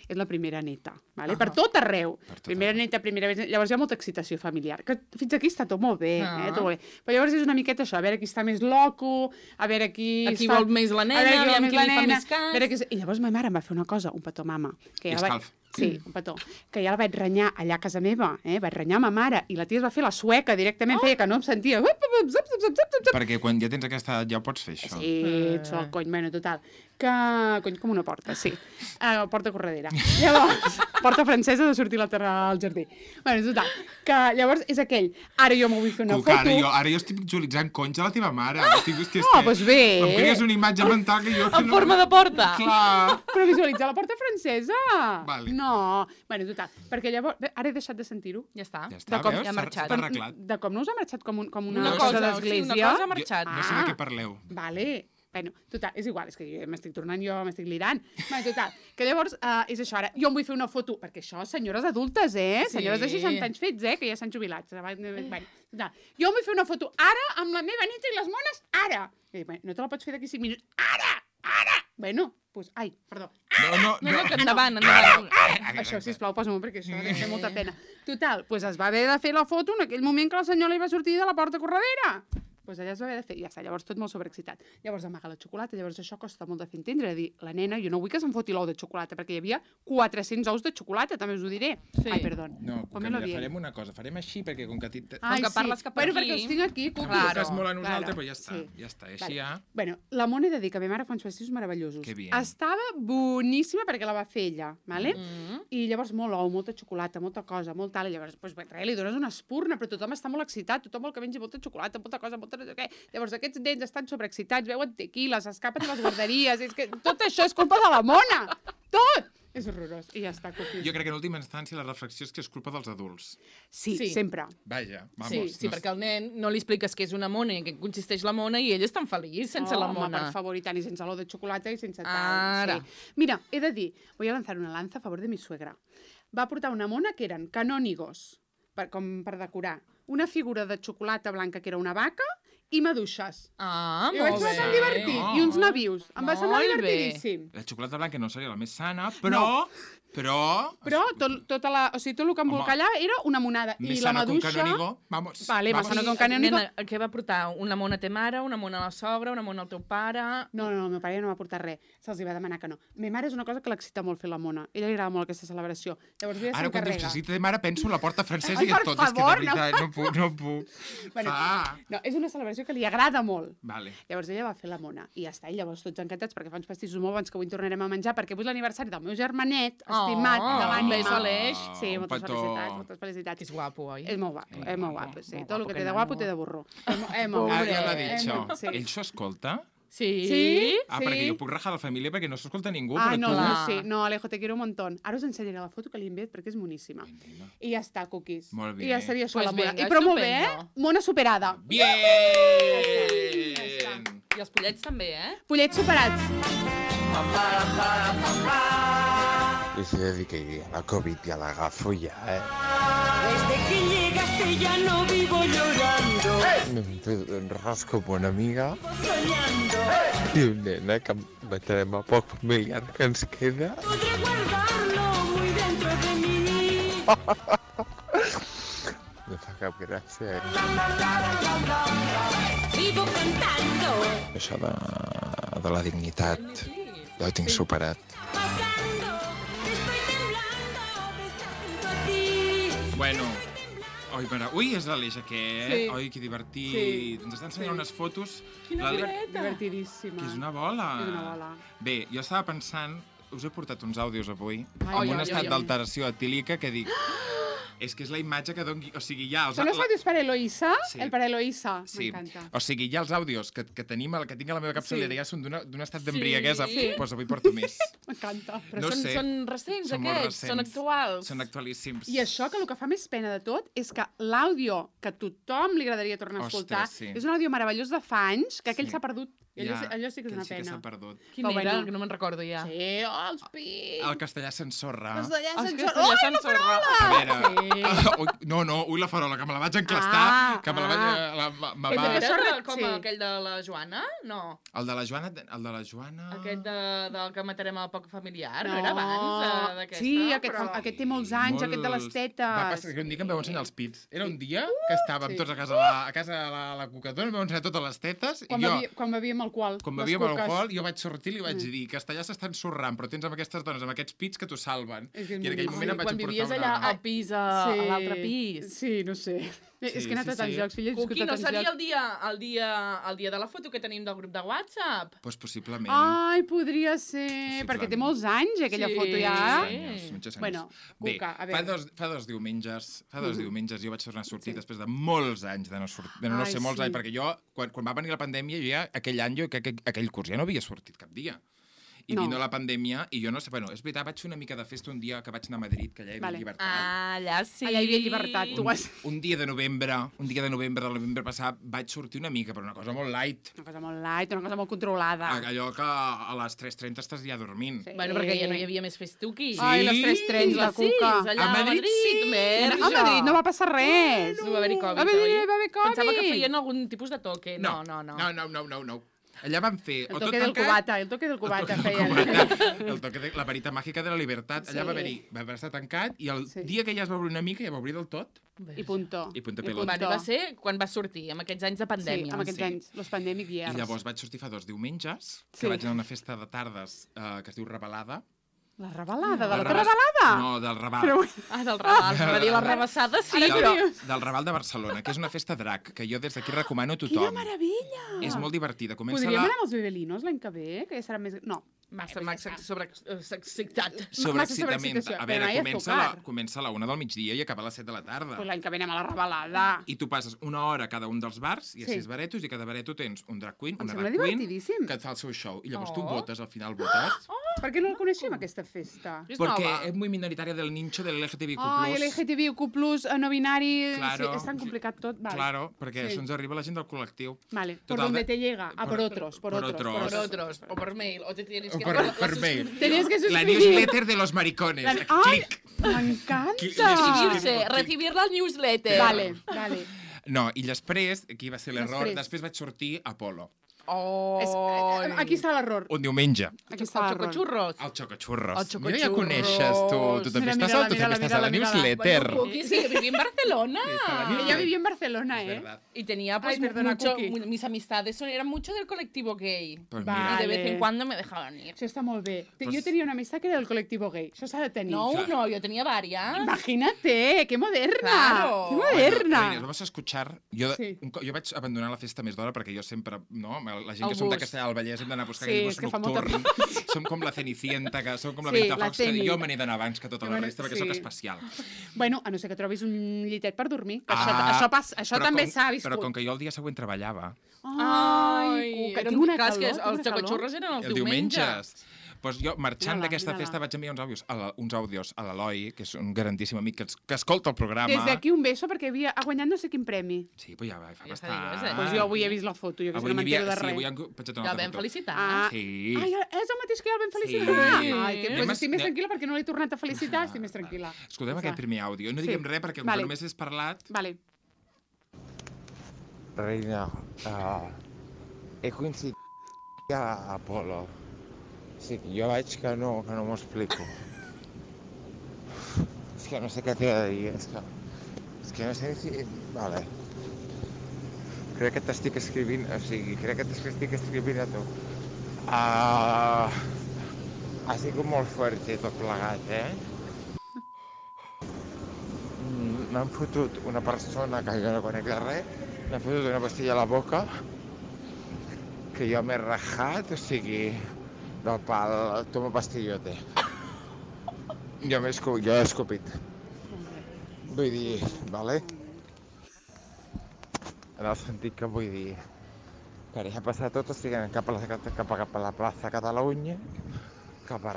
[SPEAKER 2] és la primera neta, vale? Per tot arreu.
[SPEAKER 1] Per tot
[SPEAKER 2] primera
[SPEAKER 1] arreu.
[SPEAKER 2] neta, primera vegada, llavors hi ha molta excitació familiar, que fins aquí està tot molt bé,
[SPEAKER 3] Ah.
[SPEAKER 2] eh, tot molt bé. Però llavors és una miqueta això, a veure qui està més loco, a veure qui...
[SPEAKER 3] Aquí
[SPEAKER 2] es fa-
[SPEAKER 3] vol més la nena,
[SPEAKER 2] a veure qui vol
[SPEAKER 3] aviam
[SPEAKER 2] més
[SPEAKER 3] qui
[SPEAKER 2] la
[SPEAKER 3] li fa
[SPEAKER 2] nena,
[SPEAKER 3] més cas.
[SPEAKER 2] a veure qui... I llavors ma mare em va fer una cosa, un petó mama, que ja la vaig...
[SPEAKER 1] Escalf.
[SPEAKER 2] Sí, un petó. Que ja la vaig renyar allà a casa meva, eh? Vaig renyar ma mare i la tia es va fer la sueca directament,
[SPEAKER 3] Oh.
[SPEAKER 2] feia que no em sentia. Up, up, up, zap, zap, zap, zap, zap.
[SPEAKER 1] Perquè quan ja tens aquesta edat ja ho pots fer, això.
[SPEAKER 2] Sí, ets el cony, bueno, total. Que... Cony, com una porta, sí. Uh, porta corredera. Llavors, porta francesa de sortir a la terra al jardí. Bueno, total. Que llavors és aquell. Ara jo m'ho vull fer una
[SPEAKER 1] Cuca,
[SPEAKER 2] foto.
[SPEAKER 1] ara, jo, ara jo estic visualitzant conys a la teva mare. Estic, és que, és
[SPEAKER 2] Ah,
[SPEAKER 1] que
[SPEAKER 2] doncs bé.
[SPEAKER 1] Em crees una imatge mental que jo... que
[SPEAKER 3] En forma de porta.
[SPEAKER 1] Clar.
[SPEAKER 2] Però visualitzar la porta francesa.
[SPEAKER 1] Vale.
[SPEAKER 2] No. Bueno, total. Perquè llavors... Bé, ara he deixat de sentir-ho.
[SPEAKER 3] Ja està.
[SPEAKER 1] Ja està,
[SPEAKER 2] De com
[SPEAKER 1] veus?
[SPEAKER 3] ja ha
[SPEAKER 1] S'ha-
[SPEAKER 3] marxat.
[SPEAKER 1] s'ha arreglat.
[SPEAKER 2] De com no us ha marxat com, un, com una,
[SPEAKER 3] Una
[SPEAKER 2] cosa
[SPEAKER 3] cosa, sí, una
[SPEAKER 2] d'església.
[SPEAKER 3] cosa ha marxat.
[SPEAKER 1] Jo, no sé de què parleu.
[SPEAKER 2] Vale. Bueno, total, és igual, és que jo m'estic tornant jo, m'estic lirant. Bueno, total, que llavors uh, és això, ara, jo em vull fer una foto, perquè això, senyores adultes, eh?
[SPEAKER 3] Sí.
[SPEAKER 2] Senyores de seixanta anys fets, eh? Que ja s'han jubilat. Bueno, total, jo em vull fer una foto ara amb la meva neta i les mones, ara! I dic, bueno, no te la pots fer d'aquí cinc minuts, ara! Ara! Bueno, doncs... Ai, perdó.
[SPEAKER 1] No, no,
[SPEAKER 3] No,
[SPEAKER 1] no.
[SPEAKER 3] no, que endavant, endavant.
[SPEAKER 2] Això, sisplau, posa-m'ho, perquè això em fa molta pena. Total, doncs es va haver de fer la foto en aquell moment que la senyora li va sortir de la porta corredera. Doncs allà es va haver de fer, i ja està, llavors tot molt sobreexcitat. Llavors amaga la xocolata, llavors això costa molt de fer entendre, de dir, la nena, jo no vull que se'n foti l'ou de xocolata, perquè hi havia quatre-cents ous de xocolata, també us ho diré.
[SPEAKER 3] Sí.
[SPEAKER 2] Ai, perdó.
[SPEAKER 1] No,
[SPEAKER 2] Com
[SPEAKER 1] que
[SPEAKER 2] me lo
[SPEAKER 1] mira,
[SPEAKER 2] bien.
[SPEAKER 1] farem una cosa, farem així, perquè com que... Ti...
[SPEAKER 2] Ai,
[SPEAKER 3] que parles
[SPEAKER 2] sí.
[SPEAKER 3] cap
[SPEAKER 2] bueno,
[SPEAKER 3] aquí.
[SPEAKER 2] perquè els tinc aquí, cuqui.
[SPEAKER 3] Claro.
[SPEAKER 1] Fas molt a nosaltres,
[SPEAKER 2] Claro,
[SPEAKER 1] però ja està,
[SPEAKER 2] sí.
[SPEAKER 1] ja està. Així
[SPEAKER 2] Vale.
[SPEAKER 1] ja...
[SPEAKER 2] Bueno, la Mona he de dir que ma mare fa uns pastissos meravellosos.
[SPEAKER 1] Que bien.
[SPEAKER 2] Estava boníssima perquè la va fer ella, ¿vale?
[SPEAKER 3] Mm.
[SPEAKER 2] I llavors molt ou, molta xocolata, molta cosa, molt tal, i llavors, pues, res, li dones una espurna, però tothom està molt excitat, tothom vol que mengi molta xocolata, molta cosa, molta no sé què. Llavors aquests nens estan sobreexcitats, veuen tequila, s'escapen de les guarderies, és que tot això és culpa de la Mona! Tot! És horrorós. I ja està, copi.
[SPEAKER 1] Jo crec que en última instància la reflexió és que és culpa dels adults.
[SPEAKER 2] Sí,
[SPEAKER 3] Sí.
[SPEAKER 2] sempre.
[SPEAKER 1] Vaja, vamos.
[SPEAKER 3] Sí, sí,
[SPEAKER 1] no
[SPEAKER 3] perquè al nen no li expliques què és una mona i en què consisteix la mona i ell és tan feliç sense la
[SPEAKER 2] Home,
[SPEAKER 3] mona.
[SPEAKER 2] per favor, i tant, i sense l'ou de xocolata i sense tal.
[SPEAKER 3] Ara.
[SPEAKER 2] Sí. Mira, he de dir, voy a lanzar una lanza a favor de mi suegra. Va portar una mona que eren canònigos, per, com per decorar, una figura de xocolata blanca que era una vaca i maduixes.
[SPEAKER 3] Ah,
[SPEAKER 2] I ho vaig
[SPEAKER 3] molt
[SPEAKER 2] trobar
[SPEAKER 3] bé.
[SPEAKER 2] tan divertit.
[SPEAKER 1] Oh.
[SPEAKER 2] I uns nabius. Em va semblar
[SPEAKER 3] Molt bé.
[SPEAKER 2] divertidíssim.
[SPEAKER 1] La xocolata blanca no seria la més sana, però... Però...
[SPEAKER 2] Però tot, tota la, o sigui, tot el que embolcallava era una monada. I
[SPEAKER 1] Més
[SPEAKER 2] la
[SPEAKER 1] sana que un
[SPEAKER 2] maduixa...
[SPEAKER 1] canónigo. Vamos.
[SPEAKER 2] Vale,
[SPEAKER 1] vamos.
[SPEAKER 2] més sana que un
[SPEAKER 3] I,
[SPEAKER 2] canònigo.
[SPEAKER 3] nena, què va portar? Una mona té mare, una mona a la sogra, una mona al teu pare...
[SPEAKER 2] No, no, no, el meu pare ja no va portar res. Se'ls hi va demanar que no. Ma mare és una cosa que l'excita molt fer la mona. A ella li agrada molt aquesta celebració. Llavors, ella
[SPEAKER 1] Ara, quan dius
[SPEAKER 2] s'encarrega.
[SPEAKER 1] necessita de mare, penso en la porta francesa
[SPEAKER 2] Ai,
[SPEAKER 1] i
[SPEAKER 2] per
[SPEAKER 1] tot. És que de
[SPEAKER 2] favor, no.
[SPEAKER 1] veritat, no puc, no puc.
[SPEAKER 2] Bueno,
[SPEAKER 1] Ah.
[SPEAKER 2] no, és una celebració que li agrada molt.
[SPEAKER 1] Vale.
[SPEAKER 2] Llavors ella va fer la mona i ja està, i llavors tots encantats perquè fa uns pastissos molt bons que avui tornarem a menjar perquè avui és l'aniversari del meu germanet, estimat,
[SPEAKER 3] Oh,
[SPEAKER 2] de l'ànima.
[SPEAKER 3] bes Aleix.
[SPEAKER 2] Sí,
[SPEAKER 1] Un
[SPEAKER 2] moltes
[SPEAKER 1] petó.
[SPEAKER 2] felicitats, moltes felicitats.
[SPEAKER 3] Que és guapo, oi?
[SPEAKER 2] És molt guapo, és molt guapo, sí.
[SPEAKER 3] molt
[SPEAKER 2] Tot el
[SPEAKER 3] guapo,
[SPEAKER 2] que
[SPEAKER 3] que
[SPEAKER 2] té de
[SPEAKER 3] nano.
[SPEAKER 2] guapo té de burro. És mo- és molt
[SPEAKER 1] Ah,
[SPEAKER 2] guapo.
[SPEAKER 1] ja l'ha
[SPEAKER 2] Eh,
[SPEAKER 1] dit, això.
[SPEAKER 2] sí.
[SPEAKER 1] Ell s'ho escolta?
[SPEAKER 3] Sí?
[SPEAKER 2] Sí?
[SPEAKER 1] Ah,
[SPEAKER 2] sí.
[SPEAKER 1] perquè jo puc rajar la família perquè no s'escolta ningú,
[SPEAKER 2] Ah,
[SPEAKER 1] però
[SPEAKER 2] no,
[SPEAKER 1] tu...
[SPEAKER 2] no, sí. No, Alejo, te quiero un montón. Ara us ensenyaré la foto que li he enviat perquè és moníssima. I ja està, cookies.
[SPEAKER 1] Molt bé.
[SPEAKER 2] I ja seria això
[SPEAKER 3] Pues
[SPEAKER 2] la mona.
[SPEAKER 3] venga,
[SPEAKER 2] I però molt bé, eh?
[SPEAKER 3] estupendo.
[SPEAKER 2] Mona superada.
[SPEAKER 1] Bien!
[SPEAKER 3] I els pollets també, eh?
[SPEAKER 2] Pollets superats.
[SPEAKER 6] Y se dedique a la COVID y a la gafo ya, ¿eh?
[SPEAKER 7] Desde que llegaste ya no vivo llorando,
[SPEAKER 6] Me enrosco con una amiga
[SPEAKER 7] soñando.
[SPEAKER 6] y un nena que meterem a poc familiar que ens queda.
[SPEAKER 7] Podré guardarlo muy dentro de mí.
[SPEAKER 6] No fa cap gràcia, eh?
[SPEAKER 7] Vivo cantando,
[SPEAKER 6] Això de, de la dignitat, ja ho tinc superat.
[SPEAKER 7] pasando. Estoy temblando de estar junto a ti.
[SPEAKER 1] Bueno, oi, mare... Ui, és l'Aleix aquest.
[SPEAKER 2] Sí.
[SPEAKER 1] Oi, que divertit.
[SPEAKER 2] Sí.
[SPEAKER 1] Ens està ensenyant
[SPEAKER 2] Sí.
[SPEAKER 1] unes fotos.
[SPEAKER 3] Quina
[SPEAKER 1] L'Ale-
[SPEAKER 3] divertida.
[SPEAKER 2] Divertidíssima.
[SPEAKER 1] Que és una bola.
[SPEAKER 2] És una bola.
[SPEAKER 1] Bé, jo estava pensant... Us he portat uns àudios avui,
[SPEAKER 2] Ai,
[SPEAKER 1] amb
[SPEAKER 3] oi,
[SPEAKER 1] un
[SPEAKER 3] oi,
[SPEAKER 1] estat
[SPEAKER 3] oi.
[SPEAKER 1] d'alteració etílica que dic... És que és la imatge que doni... O sigui, ja... Els,
[SPEAKER 2] Són els àudios per Eloïsa?
[SPEAKER 1] Sí.
[SPEAKER 2] El per Eloïsa.
[SPEAKER 1] Sí,
[SPEAKER 2] M'encanta.
[SPEAKER 1] o sigui, ja els àudios que, que tenim, el que tinc a la meva capçalera
[SPEAKER 2] Sí.
[SPEAKER 1] ja són d'una- d'un estat d'embriaguesa,
[SPEAKER 3] Sí.
[SPEAKER 1] doncs pues avui porto més.
[SPEAKER 2] M'encanta.
[SPEAKER 3] Però
[SPEAKER 1] No
[SPEAKER 3] són,
[SPEAKER 1] sé.
[SPEAKER 3] són recents,
[SPEAKER 1] Són molt
[SPEAKER 3] aquests? Són
[SPEAKER 1] recents.
[SPEAKER 3] actuals?
[SPEAKER 1] Són actualíssims.
[SPEAKER 2] I això, que el que fa més pena de tot, és que l'àudio que a tothom li agradaria tornar a
[SPEAKER 1] Ostres,
[SPEAKER 2] escoltar
[SPEAKER 1] sí.
[SPEAKER 2] és un àudio meravellós de fa anys, que aquell
[SPEAKER 1] Sí.
[SPEAKER 2] s'ha perdut. I allò,
[SPEAKER 1] Ja,
[SPEAKER 2] allò sí que és
[SPEAKER 1] aquell
[SPEAKER 2] una
[SPEAKER 1] sí que
[SPEAKER 2] pena.
[SPEAKER 1] s'ha perdut.
[SPEAKER 3] Quin
[SPEAKER 2] Però
[SPEAKER 3] era?
[SPEAKER 2] bueno.
[SPEAKER 3] Que no me'n recordo ja.
[SPEAKER 2] Sí, oh, els pits.
[SPEAKER 1] El castellà s'ensorra.
[SPEAKER 2] Els d'allà
[SPEAKER 3] Els
[SPEAKER 2] sense...
[SPEAKER 3] castellà
[SPEAKER 2] Ai,
[SPEAKER 3] s'ensorra.
[SPEAKER 1] A veure...
[SPEAKER 3] Sí.
[SPEAKER 1] Ui, no, no, ui, la farola, que me la vaig enclastar,
[SPEAKER 2] Ah,
[SPEAKER 1] que me la vaig...
[SPEAKER 2] ah.
[SPEAKER 1] La, ma, ma,
[SPEAKER 2] Que
[SPEAKER 1] va...
[SPEAKER 2] de
[SPEAKER 3] Era
[SPEAKER 2] això
[SPEAKER 3] de,
[SPEAKER 2] re-
[SPEAKER 3] com
[SPEAKER 2] sí.
[SPEAKER 3] aquell de la Joana? No.
[SPEAKER 1] El de la Joana... El de la Joana...
[SPEAKER 3] Aquest de, del que matarem el poc familiar, no,
[SPEAKER 2] No.
[SPEAKER 3] era abans eh, d'aquesta?
[SPEAKER 2] Sí, aquest,
[SPEAKER 3] però...
[SPEAKER 2] fa- aquest té molts anys, aquest de les tetes.
[SPEAKER 1] Va passar que un dia que em veu ensenyar els pits. Era un dia que estàvem
[SPEAKER 2] sí.
[SPEAKER 1] tots a casa la, a casa la, la cucadora, em veu ensenyar totes les tetes,
[SPEAKER 2] Quan,
[SPEAKER 1] i jo,
[SPEAKER 2] bevíem, quan bevíem alcohol.
[SPEAKER 1] quan
[SPEAKER 2] les
[SPEAKER 1] bevíem
[SPEAKER 2] cuques.
[SPEAKER 1] alcohol, jo vaig sortir i li vaig dir castellà s'està ensorrant, però tens amb aquestes dones, amb aquests pits que t'ho salven.
[SPEAKER 2] És que
[SPEAKER 1] I en aquell
[SPEAKER 2] sí,
[SPEAKER 1] moment em vaig
[SPEAKER 3] Quan
[SPEAKER 1] emportar
[SPEAKER 3] vivies
[SPEAKER 1] una...
[SPEAKER 3] allà al pis, a, a l'altre pis.
[SPEAKER 2] Sí, no sé. Sí, és que he anat
[SPEAKER 1] sí,
[SPEAKER 2] a tants
[SPEAKER 1] sí.
[SPEAKER 2] llocs, filla, he viscut
[SPEAKER 3] Cuqui,
[SPEAKER 2] a
[SPEAKER 3] no
[SPEAKER 2] tants
[SPEAKER 3] seria
[SPEAKER 2] llocs.
[SPEAKER 3] el dia, el, dia, el dia de la foto que tenim del grup de WhatsApp?
[SPEAKER 1] Pues possiblement.
[SPEAKER 2] Ai, podria ser, perquè té molts anys, eh, aquella
[SPEAKER 3] Sí.
[SPEAKER 2] foto ja.
[SPEAKER 3] Sí.
[SPEAKER 1] Anys, muchos anys.
[SPEAKER 2] Bueno,
[SPEAKER 1] Bé,
[SPEAKER 2] Cuca, a
[SPEAKER 1] fa
[SPEAKER 2] veure.
[SPEAKER 1] dos, fa dos diumenges, fa dos diumenges jo vaig tornar a sortir després de molts anys de no sortir, de no, no
[SPEAKER 2] Ai,
[SPEAKER 1] sé molts
[SPEAKER 2] sí.
[SPEAKER 1] anys, perquè jo, quan, quan va venir la pandèmia, jo ja, aquell any, jo, aquell, aquell curs, ja no havia sortit cap dia. I
[SPEAKER 2] No.
[SPEAKER 1] vino la pandèmia, i jo no sé, bueno, és veritat, vaig fer una mica de festa un dia que vaig anar a Madrid, que allà hi havia
[SPEAKER 2] Vale.
[SPEAKER 1] llibertat.
[SPEAKER 3] Ah, allà sí.
[SPEAKER 2] Allà hi havia llibertat, tu
[SPEAKER 1] Un,
[SPEAKER 2] has...
[SPEAKER 1] un dia de novembre, un dia de novembre del novembre passat, vaig sortir una mica, però una cosa molt light.
[SPEAKER 2] Una cosa molt light, una cosa molt controlada.
[SPEAKER 1] Allò que a les tres trenta estàs ja dormint.
[SPEAKER 2] Sí.
[SPEAKER 3] Bueno, perquè ja no hi havia més festuqui.
[SPEAKER 1] Sí.
[SPEAKER 2] Ai, les tres trenta,
[SPEAKER 3] Les sis,
[SPEAKER 2] Cuca.
[SPEAKER 3] allà
[SPEAKER 1] A Madrid sí.
[SPEAKER 3] Verge.
[SPEAKER 2] A Madrid no va passar res.
[SPEAKER 3] No va haver-hi Covid,
[SPEAKER 2] A Madrid
[SPEAKER 3] oi?
[SPEAKER 2] va haver Covid.
[SPEAKER 3] Pensava que feien algun tipus de toque. No, no, no.
[SPEAKER 1] No, no, no, no, no. Allà van fer...
[SPEAKER 2] El
[SPEAKER 1] o tot
[SPEAKER 2] toque del
[SPEAKER 1] tancat,
[SPEAKER 2] cubata, el toque del
[SPEAKER 1] el
[SPEAKER 2] cubata
[SPEAKER 1] toque del
[SPEAKER 2] feien.
[SPEAKER 1] cubata, el toque de la varita màgica de la libertat. Allà
[SPEAKER 2] Sí.
[SPEAKER 1] va haver-hi, va haver estar tancat, i el
[SPEAKER 2] Sí.
[SPEAKER 1] dia que ja es va obrir una mica, ja va obrir del tot.
[SPEAKER 2] I punto.
[SPEAKER 1] I punto
[SPEAKER 2] I
[SPEAKER 1] pelota.
[SPEAKER 3] Vale, va ser quan va sortir, amb aquests anys de
[SPEAKER 2] Sí,
[SPEAKER 3] pandèmia.
[SPEAKER 2] amb aquests
[SPEAKER 1] sí.
[SPEAKER 2] anys, los pandemic years.
[SPEAKER 1] I llavors vaig sortir fa dos diumenges, que
[SPEAKER 2] Sí.
[SPEAKER 1] vaig anar a una festa de tardes eh, que es diu Revelada.
[SPEAKER 2] La revelada, de la
[SPEAKER 1] El
[SPEAKER 2] teva
[SPEAKER 1] Raval-
[SPEAKER 2] revelada?
[SPEAKER 1] No, del Raval.
[SPEAKER 2] Però...
[SPEAKER 3] Ah, del Raval. Va dir la rebassada, sí,
[SPEAKER 1] del,
[SPEAKER 3] però...
[SPEAKER 1] del Raval de Barcelona, que és una festa drac, que jo des d'aquí recomano a
[SPEAKER 2] Quina
[SPEAKER 1] tothom.
[SPEAKER 2] meravella!
[SPEAKER 1] És molt divertida. Comença
[SPEAKER 2] Podríem
[SPEAKER 1] la...
[SPEAKER 2] anar amb els bebelinos l'any que ve, que ja serà més... No.
[SPEAKER 3] Massa, massa sobreexcitat.
[SPEAKER 1] Sobreexcitament.
[SPEAKER 2] sobreexcitació,
[SPEAKER 1] A
[SPEAKER 2] però
[SPEAKER 1] veure,
[SPEAKER 2] no hi ha
[SPEAKER 1] comença, la,
[SPEAKER 2] azúcar.
[SPEAKER 1] comença a la una del migdia i acaba a les set de la tarda.
[SPEAKER 2] Pues l'any que ve anem a la revelada.
[SPEAKER 1] I tu passes una hora a cada un dels bars, hi ha
[SPEAKER 2] Sí.
[SPEAKER 1] sis baretos, i cada bareto tens un drag queen,
[SPEAKER 2] Em
[SPEAKER 1] una
[SPEAKER 2] sembla
[SPEAKER 1] drag queen,
[SPEAKER 2] divertidíssim.
[SPEAKER 1] que et fa el seu show. I llavors tu
[SPEAKER 3] Oh.
[SPEAKER 1] votes, al final votes,
[SPEAKER 2] Per què no la coneixem, aquesta festa?
[SPEAKER 3] És
[SPEAKER 1] perquè
[SPEAKER 3] nova.
[SPEAKER 1] és muy minoritaria del nicho del L G T B Q plus.
[SPEAKER 2] Ai, L G T B Q plus, no binari...
[SPEAKER 1] Claro.
[SPEAKER 2] Sí, és tan complicat tot. Vale.
[SPEAKER 1] Claro, perquè
[SPEAKER 2] Sí.
[SPEAKER 1] això ens arriba la gent del col·lectiu.
[SPEAKER 2] Vale. Por
[SPEAKER 1] Total,
[SPEAKER 2] donde
[SPEAKER 1] de-
[SPEAKER 2] te llega. Ah, por,
[SPEAKER 1] por-
[SPEAKER 2] otros, por,
[SPEAKER 1] por
[SPEAKER 2] otros.
[SPEAKER 1] otros.
[SPEAKER 2] por
[SPEAKER 3] Por otros, o por mail, o te tienes
[SPEAKER 1] O
[SPEAKER 3] que...
[SPEAKER 1] per,
[SPEAKER 3] la- la
[SPEAKER 1] per mail.
[SPEAKER 3] suscripción.
[SPEAKER 2] Tenías que
[SPEAKER 1] La
[SPEAKER 2] suscribir.
[SPEAKER 1] newsletter de los maricones.
[SPEAKER 2] La- Ai,
[SPEAKER 1] Clic.
[SPEAKER 2] m'encanta!
[SPEAKER 3] Suscribirse, recibir la newsletter.
[SPEAKER 2] Vale, vale.
[SPEAKER 1] No, i després, aquí va ser l'error,
[SPEAKER 2] Després.
[SPEAKER 1] després vaig sortir a Polo.
[SPEAKER 3] Oh,
[SPEAKER 2] És, eh, aquí està l'error.
[SPEAKER 1] Un diumenge.
[SPEAKER 2] Aquí
[SPEAKER 3] els
[SPEAKER 2] està l'error.
[SPEAKER 3] xocotxurros.
[SPEAKER 1] El Xocotxurros.
[SPEAKER 3] El
[SPEAKER 1] Mira, ja
[SPEAKER 3] Xocotxurros.
[SPEAKER 1] coneixes tu. Tu també
[SPEAKER 2] Mira,
[SPEAKER 1] estàs,
[SPEAKER 2] mira-la,
[SPEAKER 1] tu també
[SPEAKER 2] mira-la,
[SPEAKER 1] estàs a la
[SPEAKER 2] mira-la,
[SPEAKER 1] newsletter.
[SPEAKER 3] Bueno, Cookie, sí, viví en Barcelona.
[SPEAKER 2] Ella vivía en Barcelona,
[SPEAKER 1] Es
[SPEAKER 2] ¿eh?
[SPEAKER 1] verdad.
[SPEAKER 3] Y tenía, pues,
[SPEAKER 2] Ay, perdona,
[SPEAKER 3] mucho,
[SPEAKER 2] Cookie.
[SPEAKER 3] mu- mis amistades son- eran mucho del colectivo gay.
[SPEAKER 1] Pues
[SPEAKER 2] Va.
[SPEAKER 1] mira,
[SPEAKER 3] Y de vez
[SPEAKER 2] Vale.
[SPEAKER 3] en cuando me dejaban ir.
[SPEAKER 2] Això està molt bé. Te-
[SPEAKER 1] Pues-
[SPEAKER 2] Jo tenia una amistat que era del col·lectiu gay. Això s'ha de tenir.
[SPEAKER 3] No,
[SPEAKER 1] Claro.
[SPEAKER 3] no, yo tenía varias.
[SPEAKER 2] Imagínate, qué moderna.
[SPEAKER 3] Claro.
[SPEAKER 2] Qué
[SPEAKER 1] Bueno,
[SPEAKER 2] moderna.
[SPEAKER 1] Reines, vamos a escuchar... Jo,
[SPEAKER 2] Sí.
[SPEAKER 1] un co- jo vaig abandonar la festa més d'hora perquè jo sempre, no? La gent
[SPEAKER 3] El
[SPEAKER 1] que som de
[SPEAKER 3] bus.
[SPEAKER 1] Castellà del Vallès hem d'anar a buscar
[SPEAKER 2] Sí,
[SPEAKER 1] aquell
[SPEAKER 2] és
[SPEAKER 1] bus
[SPEAKER 2] que fa molta
[SPEAKER 1] nocturn. Som com la Cenicienta, que som com la
[SPEAKER 2] Sí,
[SPEAKER 1] Ventafocs,
[SPEAKER 2] la
[SPEAKER 1] que
[SPEAKER 2] Ceni.
[SPEAKER 1] jo me n'he d'anar abans que tota la
[SPEAKER 2] Bueno,
[SPEAKER 1] resta perquè
[SPEAKER 2] sí.
[SPEAKER 1] sóc especial.
[SPEAKER 2] Bueno, a no ser que trobis un llitet per dormir. Que
[SPEAKER 1] Ah,
[SPEAKER 2] això, això, pas, això
[SPEAKER 1] però
[SPEAKER 2] també
[SPEAKER 1] com-
[SPEAKER 2] s'ha viscut.
[SPEAKER 1] Però com que jo el dia següent treballava,
[SPEAKER 2] Ai, que
[SPEAKER 3] era
[SPEAKER 2] tinc
[SPEAKER 3] un-
[SPEAKER 2] una
[SPEAKER 3] clar,
[SPEAKER 2] calor,
[SPEAKER 3] és que
[SPEAKER 2] tinc
[SPEAKER 3] els
[SPEAKER 2] una calor.
[SPEAKER 3] xocotxurros eren els
[SPEAKER 1] el
[SPEAKER 3] diumenges.
[SPEAKER 1] diumenges... Pues jo, marxant
[SPEAKER 2] Mira-la,
[SPEAKER 1] d'aquesta
[SPEAKER 2] mira-la.
[SPEAKER 1] festa, vaig enviar uns àudios, a la, uns àudios a l'Eloi, que és un garantíssim amic que, es- que escolta el programa.
[SPEAKER 2] Des d'aquí un beso perquè havia, ha guanyat no sé quin premi.
[SPEAKER 1] Sí, però ja va, fa
[SPEAKER 3] Ja està
[SPEAKER 1] bastant.
[SPEAKER 3] digues, eh?
[SPEAKER 2] Pues jo avui he vist la foto, jo que si no
[SPEAKER 1] Avui n'hi havia-
[SPEAKER 2] m'entero de
[SPEAKER 1] sí,
[SPEAKER 2] res.
[SPEAKER 1] avui han penjat una
[SPEAKER 3] Ja el
[SPEAKER 1] altra
[SPEAKER 3] vam
[SPEAKER 1] foto.
[SPEAKER 3] felicitar.
[SPEAKER 2] Ah,
[SPEAKER 1] Sí.
[SPEAKER 2] Ai, és el mateix que jo el vam felicitar.
[SPEAKER 1] Sí.
[SPEAKER 2] Ai, que,
[SPEAKER 1] Anem
[SPEAKER 2] pues
[SPEAKER 1] a-
[SPEAKER 2] estic més
[SPEAKER 1] anem-
[SPEAKER 2] tranquil·la perquè no l'he tornat a felicitar, estic més tranquil·la.
[SPEAKER 1] Escoltem
[SPEAKER 2] Va.
[SPEAKER 1] aquest primer àudio. No
[SPEAKER 2] Sí.
[SPEAKER 1] diguem res perquè com
[SPEAKER 2] Vale.
[SPEAKER 1] que només has parlat...
[SPEAKER 2] Vale.
[SPEAKER 6] Reina, uh, he coincidit a Apolo. Sí, que jo veig que no, que no m'ho explico. És que no sé què t'he de dir, és que... És que no sé si... Vale. Crec que t'estic escrivint, o sigui, crec que t'estic escrivint a tu. Uh, ha sigut molt fuerte tot plegat, eh? Mm, M'han fotut una persona que jo no conec de res, m'han fotut una pastilla a la boca que jo m'he rajat, o sigui, del pal, toma pastillote. Jo m'he escu... jo he escopit. Vull dir, vale? En el sentit que vull dir que ja ha passat tot, estic anant cap a la, cap a, cap a la plaça Catalunya, cap a...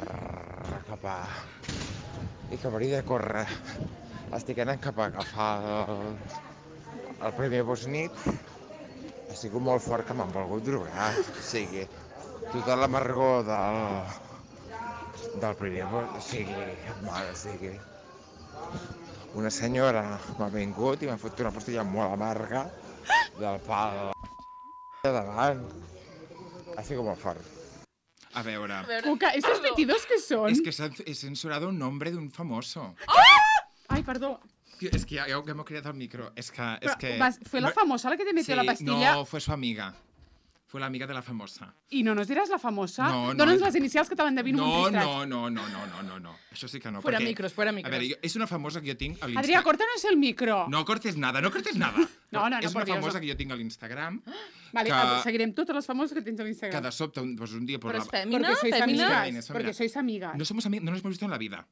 [SPEAKER 6] cap a... i que hauria de córrer. Estic anant cap a agafar el, el primer bus nit. Ha sigut molt fort que m'han volgut drogar. O sigui, tota l'amargor del, del primer bus, o sigui, mare, o sigui... Una senyora m'ha vingut i m'ha fotut una pastilla molt amarga del pal de davant. Ha sigut molt fort.
[SPEAKER 1] A veure...
[SPEAKER 2] Cuca, ¿estos metidos que son?
[SPEAKER 1] Es que se ha he censurado un nombre de un famoso.
[SPEAKER 2] Ay, perdón.
[SPEAKER 1] Es que ya, ya hemos creado el micro. Es que... Es
[SPEAKER 2] Pero,
[SPEAKER 1] que...
[SPEAKER 2] vas- ¿Fue la famosa la que te metió
[SPEAKER 1] Sí,
[SPEAKER 2] la pastilla?
[SPEAKER 1] No, fue su amiga. Fue la amiga de la famosa.
[SPEAKER 2] I no nos diràs la famosa?
[SPEAKER 1] No, no.
[SPEAKER 2] Dóna'ns les inicials que te l'endevino
[SPEAKER 1] No,
[SPEAKER 2] un registrat.
[SPEAKER 1] no, no, no, no, no, no, no. Això sí que no.
[SPEAKER 3] Fuera
[SPEAKER 1] perquè-
[SPEAKER 3] micros, fuera micros.
[SPEAKER 1] A veure, jo, és una famosa que jo tinc a
[SPEAKER 2] Adrià,
[SPEAKER 1] l'Instagram.
[SPEAKER 2] córtanos el micro.
[SPEAKER 1] No cortes nada, no cortes nada.
[SPEAKER 2] No, no, no,
[SPEAKER 1] És
[SPEAKER 2] por
[SPEAKER 1] una
[SPEAKER 2] Dios,
[SPEAKER 1] famosa
[SPEAKER 2] no.
[SPEAKER 1] que jo tinc a l'Instagram.
[SPEAKER 2] Vale,
[SPEAKER 1] que-
[SPEAKER 2] ah, seguirem totes les famoses que tens a
[SPEAKER 1] Que
[SPEAKER 2] l'Instagram.
[SPEAKER 1] de sobte, un, pues un dia... Pues
[SPEAKER 3] Però
[SPEAKER 1] la-
[SPEAKER 3] és fèmina,
[SPEAKER 2] Porque sois
[SPEAKER 3] fèmina.
[SPEAKER 2] amigas.
[SPEAKER 1] Femina, és femina.
[SPEAKER 2] Porque sois amigas.
[SPEAKER 1] No somos amigos, no nos hemos visto en la vida.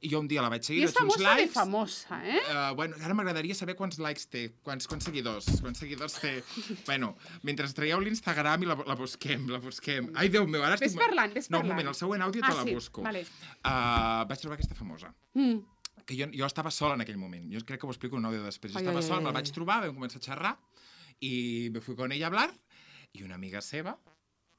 [SPEAKER 1] I jo un dia la vaig
[SPEAKER 2] I
[SPEAKER 1] seguir,
[SPEAKER 2] és
[SPEAKER 1] vaig fer uns
[SPEAKER 2] famosa de
[SPEAKER 1] lives.
[SPEAKER 2] famosa, eh?
[SPEAKER 1] Uh, bueno, ara m'agradaria saber quants likes té, quants, quants seguidors, quants seguidors té. Bueno, mentre traieu l'Instagram i la, la busquem, la busquem. Ai, Déu meu, ara
[SPEAKER 2] Ves
[SPEAKER 1] estic...
[SPEAKER 2] parlant, ves
[SPEAKER 1] No, un
[SPEAKER 2] parlant.
[SPEAKER 1] moment, el següent àudio
[SPEAKER 2] Ah,
[SPEAKER 1] te la
[SPEAKER 2] sí,
[SPEAKER 1] busco.
[SPEAKER 2] vale.
[SPEAKER 1] Uh, vaig trobar aquesta famosa.
[SPEAKER 2] Mm.
[SPEAKER 1] Que jo, jo estava sola en aquell moment. Jo crec que ho explico en un àudio després. Jo
[SPEAKER 2] Ai,
[SPEAKER 1] estava
[SPEAKER 2] ai,
[SPEAKER 1] sola,
[SPEAKER 2] ai,
[SPEAKER 1] me'l
[SPEAKER 2] ai.
[SPEAKER 1] vaig trobar, vam començar a xerrar, i me fui con ella a hablar, i una amiga seva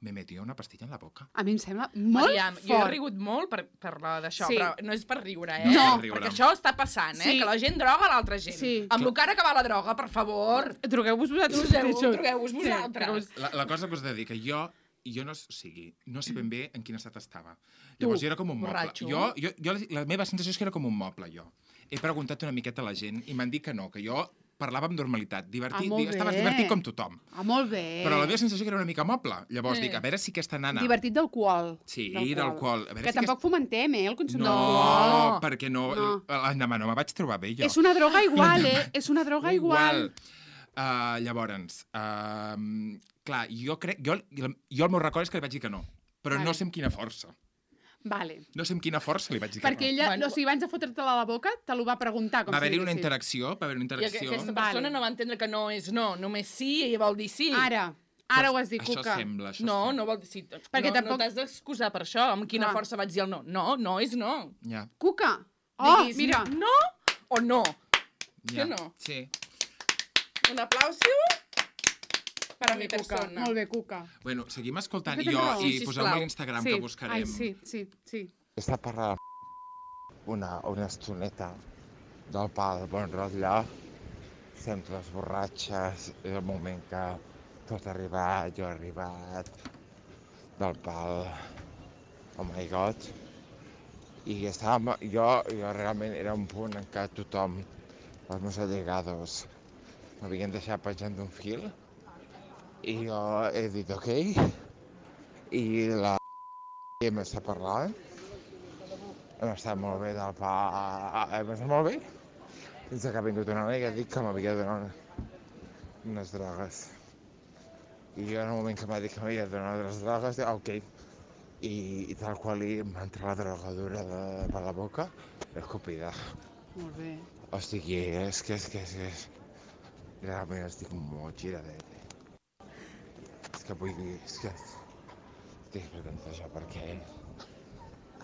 [SPEAKER 1] me metió una pastilla en la boca.
[SPEAKER 2] A mi em sembla molt
[SPEAKER 3] Mariam,
[SPEAKER 2] fort.
[SPEAKER 3] jo he rigut molt per, per la d'això,
[SPEAKER 2] Sí.
[SPEAKER 3] però no és per riure, eh?
[SPEAKER 2] No.
[SPEAKER 3] Perquè això està passant, eh?
[SPEAKER 2] Sí.
[SPEAKER 3] Que la gent droga l'altra gent.
[SPEAKER 2] Sí.
[SPEAKER 3] Amb el cara que va la droga, per favor.
[SPEAKER 2] Drogueu-vos vosaltres.
[SPEAKER 3] Drogueu-
[SPEAKER 2] mateixos.
[SPEAKER 3] drogueu-vos
[SPEAKER 2] Sí,
[SPEAKER 3] vosaltres.
[SPEAKER 2] drogueu-vos-
[SPEAKER 1] La, la cosa que us he de dir, que jo, jo no, o sigui, no sé ben bé en quin estat estava. Llavors, jo era com un moble.
[SPEAKER 3] borratxo.
[SPEAKER 1] Jo, jo, jo, la meva sensació és que era com un moble, jo. He preguntat una miqueta a la gent i m'han dit que no, que jo parlava amb normalitat, divertit,
[SPEAKER 2] Ah, molt
[SPEAKER 1] digue- estava
[SPEAKER 2] bé.
[SPEAKER 1] divertit com tothom.
[SPEAKER 2] Ah, molt bé.
[SPEAKER 1] Però la meva sensació que era una mica moble. Llavors
[SPEAKER 3] Eh.
[SPEAKER 1] dic, a veure si aquesta nana...
[SPEAKER 2] Divertit d'alcohol.
[SPEAKER 1] Sí, d'alcohol. A veure
[SPEAKER 2] Que
[SPEAKER 1] si
[SPEAKER 2] tampoc
[SPEAKER 1] aquest-
[SPEAKER 2] fomentem, eh, el consum
[SPEAKER 1] No,
[SPEAKER 2] d'alcohol.
[SPEAKER 1] perquè no,
[SPEAKER 2] No.
[SPEAKER 1] l'endemà no me vaig trobar bé, jo.
[SPEAKER 2] És una droga igual, eh? És una droga igual.
[SPEAKER 1] Uh, llavors, uh, clar, jo crec... Jo, jo el meu record és que li vaig dir que no, però
[SPEAKER 2] Vale.
[SPEAKER 1] no sé amb quina força.
[SPEAKER 2] Vale.
[SPEAKER 1] No sé amb quina força li vaig dir
[SPEAKER 2] Perquè
[SPEAKER 1] que no.
[SPEAKER 2] ella,
[SPEAKER 3] Bueno.
[SPEAKER 2] o sigui, abans de fotre-te-la a la boca, te l'ho va preguntar. Com
[SPEAKER 1] Va
[SPEAKER 2] si
[SPEAKER 1] haver-hi una
[SPEAKER 2] diguessis.
[SPEAKER 1] interacció, va haver una
[SPEAKER 3] I aqu-
[SPEAKER 1] interacció.
[SPEAKER 3] aquesta
[SPEAKER 2] Vale.
[SPEAKER 3] persona no va entendre que no és no, només sí i vol dir sí.
[SPEAKER 2] Ara, ara ho has dit,
[SPEAKER 1] Això
[SPEAKER 2] Cuca.
[SPEAKER 1] sembla, això
[SPEAKER 3] No,
[SPEAKER 1] sembla.
[SPEAKER 3] no vol dir sí.
[SPEAKER 2] Perquè
[SPEAKER 3] no,
[SPEAKER 2] tampoc-
[SPEAKER 3] no t'has d'excusar per això. Amb quina
[SPEAKER 2] Clar.
[SPEAKER 3] força vaig dir el no. No, no és no.
[SPEAKER 1] Ja,
[SPEAKER 2] Cuca! Oh,
[SPEAKER 3] Diguis
[SPEAKER 2] mira.
[SPEAKER 3] no o no.
[SPEAKER 1] ja.
[SPEAKER 3] Que no?
[SPEAKER 1] Sí.
[SPEAKER 3] Un aplauso per a mi
[SPEAKER 2] Molt bé, Cuca.
[SPEAKER 3] persona.
[SPEAKER 2] Molt bé, Cuca.
[SPEAKER 1] Bueno, seguim escoltant
[SPEAKER 2] Has fet
[SPEAKER 1] jo
[SPEAKER 2] raó.
[SPEAKER 1] i
[SPEAKER 3] Sí,
[SPEAKER 1] poseu-me
[SPEAKER 3] sisplau.
[SPEAKER 1] a l'Instagram
[SPEAKER 2] sí.
[SPEAKER 1] que buscarem.
[SPEAKER 2] Ai, sí, sí, sí.
[SPEAKER 6] Està parlant una, una estoneta del pal bon rotllo, sempre les borratxes, és el moment que tot ha arribat, jo he arribat, del pal, oh my god. I estàvem, jo, jo realment era un punt en què tothom, els meus allegados, m'havien deixat penjant d'un fil, i jo he dit ok, i la hem estat parlant, hem estat molt bé del pa, hem estat molt bé, fins que ha vingut una noia que ha dit que m'havia de donar unes drogues. I jo en el moment que m'ha dit que m'havia de donar unes drogues, dic, ok, i, i tal qual li m'ha entrat la drogadura de, per la boca, escopida.
[SPEAKER 2] Molt bé.
[SPEAKER 6] O sigui, és que, és que, és que, és... realment estic molt giradet. És que vull dir, és que estic esperant això perquè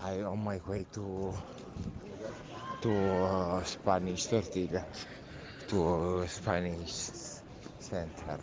[SPEAKER 6] I on my way to to uh, Spanish tortilla, to Spanish center.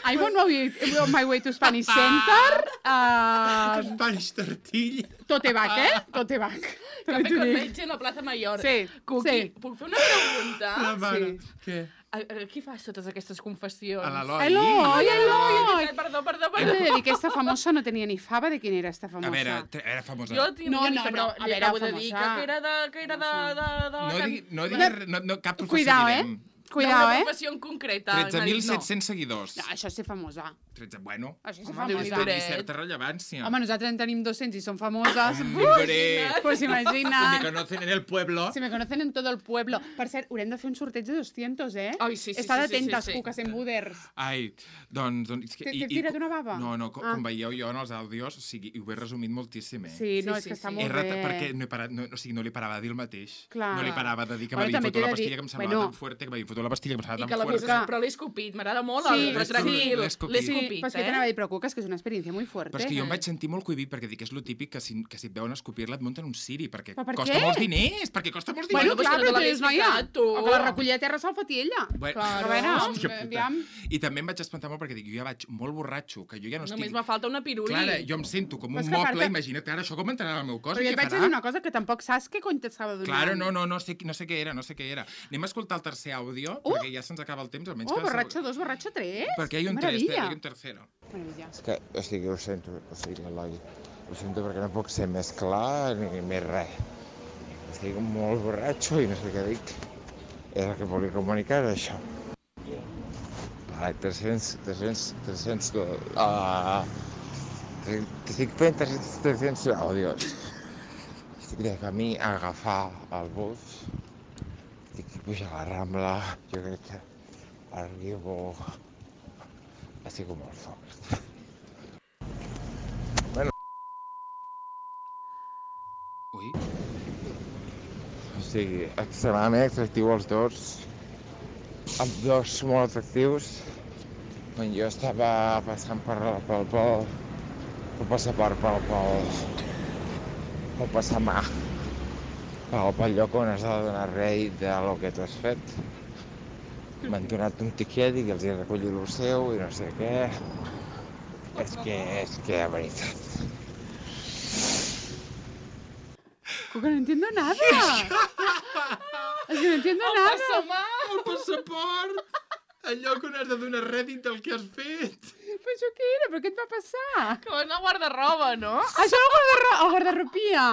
[SPEAKER 2] I'm on my way, on my way to Spanish Center. Uh,
[SPEAKER 1] Spanish tortilla.
[SPEAKER 2] tote back, eh? Tote back.
[SPEAKER 3] Cafè
[SPEAKER 2] També t'ho
[SPEAKER 3] con
[SPEAKER 2] dic.
[SPEAKER 3] leche a la plaça Mayor.
[SPEAKER 2] Sí,
[SPEAKER 3] Cuqui,
[SPEAKER 2] sí.
[SPEAKER 3] puc fer una pregunta?
[SPEAKER 1] La mare.
[SPEAKER 2] sí.
[SPEAKER 1] Què?
[SPEAKER 3] A, a qui fas totes aquestes confessions?
[SPEAKER 1] A l'Eloi.
[SPEAKER 2] Eloi, Eloi!
[SPEAKER 3] Ai, perdó, perdó,
[SPEAKER 2] Hem de
[SPEAKER 3] perdó.
[SPEAKER 2] dir que aquesta famosa no tenia ni fava de quina era esta famosa.
[SPEAKER 1] A veure, te- era famosa.
[SPEAKER 3] Jo tinc
[SPEAKER 2] No,
[SPEAKER 3] no,
[SPEAKER 2] no,
[SPEAKER 3] no,
[SPEAKER 2] no,
[SPEAKER 3] però
[SPEAKER 2] a
[SPEAKER 3] li
[SPEAKER 2] veure,
[SPEAKER 3] acabo de dir que,
[SPEAKER 2] famosa.
[SPEAKER 3] que era de, que era de, de, de la
[SPEAKER 1] No,
[SPEAKER 3] can-
[SPEAKER 1] digui, no,
[SPEAKER 2] De-
[SPEAKER 1] digui, no, no, cap professió
[SPEAKER 2] Cuidao, eh?
[SPEAKER 1] direm.
[SPEAKER 2] Cuidao,
[SPEAKER 3] D'una
[SPEAKER 2] eh?
[SPEAKER 3] professió en concreta.
[SPEAKER 1] tretze mil
[SPEAKER 3] No.
[SPEAKER 1] set-cents seguidors.
[SPEAKER 2] No, això és ser famosa.
[SPEAKER 1] tretze, bueno,
[SPEAKER 2] Això és ser
[SPEAKER 3] Home,
[SPEAKER 2] famosa.
[SPEAKER 3] Déu-n'hi-do.
[SPEAKER 1] té certa rellevància.
[SPEAKER 2] Home, nosaltres en tenim dos-cents i són famoses.
[SPEAKER 1] Hombre,
[SPEAKER 2] Pues
[SPEAKER 1] me
[SPEAKER 2] imagina't.
[SPEAKER 1] conocen en el pueblo.
[SPEAKER 2] Si me conocen en tot el pueblo. Per cert, haurem de fer un sorteig de doscientos, eh?
[SPEAKER 3] Ai, sí, sí,
[SPEAKER 2] Està
[SPEAKER 3] sí, sí,
[SPEAKER 2] atentes,
[SPEAKER 3] sí, sí.
[SPEAKER 2] cuques en buders.
[SPEAKER 1] Ai, doncs... doncs és que-
[SPEAKER 2] T'he-
[SPEAKER 1] i-
[SPEAKER 2] t'he
[SPEAKER 1] i-
[SPEAKER 2] tirat una bava?
[SPEAKER 1] No, no, com,
[SPEAKER 2] Ah.
[SPEAKER 1] com veieu jo en els àudios, o sigui, ho he resumit moltíssim, eh?
[SPEAKER 2] Sí, no,
[SPEAKER 3] Sí,
[SPEAKER 2] és
[SPEAKER 3] sí,
[SPEAKER 2] que està
[SPEAKER 3] sí.
[SPEAKER 1] He
[SPEAKER 2] molt
[SPEAKER 1] rata,
[SPEAKER 2] bé.
[SPEAKER 1] perquè no, he parat, no, o sigui, no li parava de dir el mateix.
[SPEAKER 2] Clar.
[SPEAKER 1] No li parava de dir que
[SPEAKER 2] Bueno,
[SPEAKER 1] m'havia
[SPEAKER 2] també
[SPEAKER 1] fotut
[SPEAKER 2] t'he
[SPEAKER 1] la
[SPEAKER 2] de
[SPEAKER 1] pastilla
[SPEAKER 2] dir-
[SPEAKER 1] que em semblava
[SPEAKER 2] bueno.
[SPEAKER 1] tan fuerte, que m'havia fotut la pastilla que em
[SPEAKER 3] I
[SPEAKER 1] semblava
[SPEAKER 3] que
[SPEAKER 1] tan
[SPEAKER 3] la
[SPEAKER 1] fuerte.
[SPEAKER 3] busca, però l'he escopit, m'agrada molt,
[SPEAKER 2] Sí,
[SPEAKER 3] el, però
[SPEAKER 2] sí.
[SPEAKER 3] tranquil,
[SPEAKER 1] L'he escopit.
[SPEAKER 3] l'he
[SPEAKER 2] Sí,
[SPEAKER 3] escopit,
[SPEAKER 2] però és que
[SPEAKER 3] eh?
[SPEAKER 2] t'anava a dir, però cuca, és que és una experiència molt fuerte.
[SPEAKER 1] Però és que jo em vaig sentir molt cohibit perquè dic que és lo típic que si, que si et veuen escopir-la et munten un siri, perquè
[SPEAKER 2] Però per
[SPEAKER 1] costa
[SPEAKER 2] què?
[SPEAKER 1] molts diners, perquè costa molts diners.
[SPEAKER 2] Bueno,
[SPEAKER 3] Bueno,
[SPEAKER 2] clar,
[SPEAKER 3] pues que no
[SPEAKER 2] però
[SPEAKER 3] te
[SPEAKER 2] tu dius,
[SPEAKER 3] l'hagués
[SPEAKER 2] noia,
[SPEAKER 3] ficat, tu.
[SPEAKER 2] o que la recollia a terra se'l foti ella.
[SPEAKER 1] Bueno,
[SPEAKER 2] A veure,
[SPEAKER 1] hòstia puta.
[SPEAKER 2] aviam.
[SPEAKER 1] I també em vaig espantar molt perquè dic, jo ja vaig molt borratxo, que jo ja no
[SPEAKER 3] Només
[SPEAKER 1] estic...
[SPEAKER 3] me falta una piruli.
[SPEAKER 1] Clara, jo em sento com
[SPEAKER 2] Però és
[SPEAKER 1] un
[SPEAKER 2] que a
[SPEAKER 1] moble,
[SPEAKER 2] part-
[SPEAKER 1] imagina't ara això com entrarà al meu cos
[SPEAKER 2] Però
[SPEAKER 1] i
[SPEAKER 2] jo
[SPEAKER 1] què
[SPEAKER 2] et vaig
[SPEAKER 1] farà.
[SPEAKER 2] dir una cosa que tampoc saps què cony t'estava donant.
[SPEAKER 1] Claro, no, no, no sé, no sé què era, no sé què era. Anem a escoltar el tercer àudio,
[SPEAKER 2] Uh!
[SPEAKER 1] perquè ja se'ns acaba el temps, almenys
[SPEAKER 2] Oh,
[SPEAKER 1] que...
[SPEAKER 2] borratxo dos, borratxo tres.
[SPEAKER 1] Perquè hi ha un tres,
[SPEAKER 2] Meravella.
[SPEAKER 1] hi ha un tercero.
[SPEAKER 2] Meravella.
[SPEAKER 6] És que, o sigui, ho sento, o sigui, Eloi, ho sento perquè no puc ser més clar ni més res. Estic molt borratxo i no sé què dic. És el que volia comunicar, això. Vale, tres-cents, tres-cents, tres-cents... Uh, estic fent tres-cents, tres-cents àudios. Estic de camí a agafar el bus. Estic pujar a la Rambla. Jo crec que arribo... Estic molt fort.
[SPEAKER 1] Ui,
[SPEAKER 6] O sigui, extremadament atractiu els dos, amb dos molt atractius. Quan jo estava passant per, pel, pel, pel passaport, pel, pel, pel passamà, pel, pel lloc on has de donar rei de lo que tu has fet, m'han donat un tiquet i els he recollit el seu i no sé què. És que, és que, de veritat.
[SPEAKER 2] Cuca, no entiendo nada. Es que no entiendo nada.
[SPEAKER 1] El passaport! Allò que no has de donar rèdit del que has fet.
[SPEAKER 2] Però això què era? Però què et va passar?
[SPEAKER 3] Com una guarda-roba, no?
[SPEAKER 2] Això era el guardarro- el guardarropia.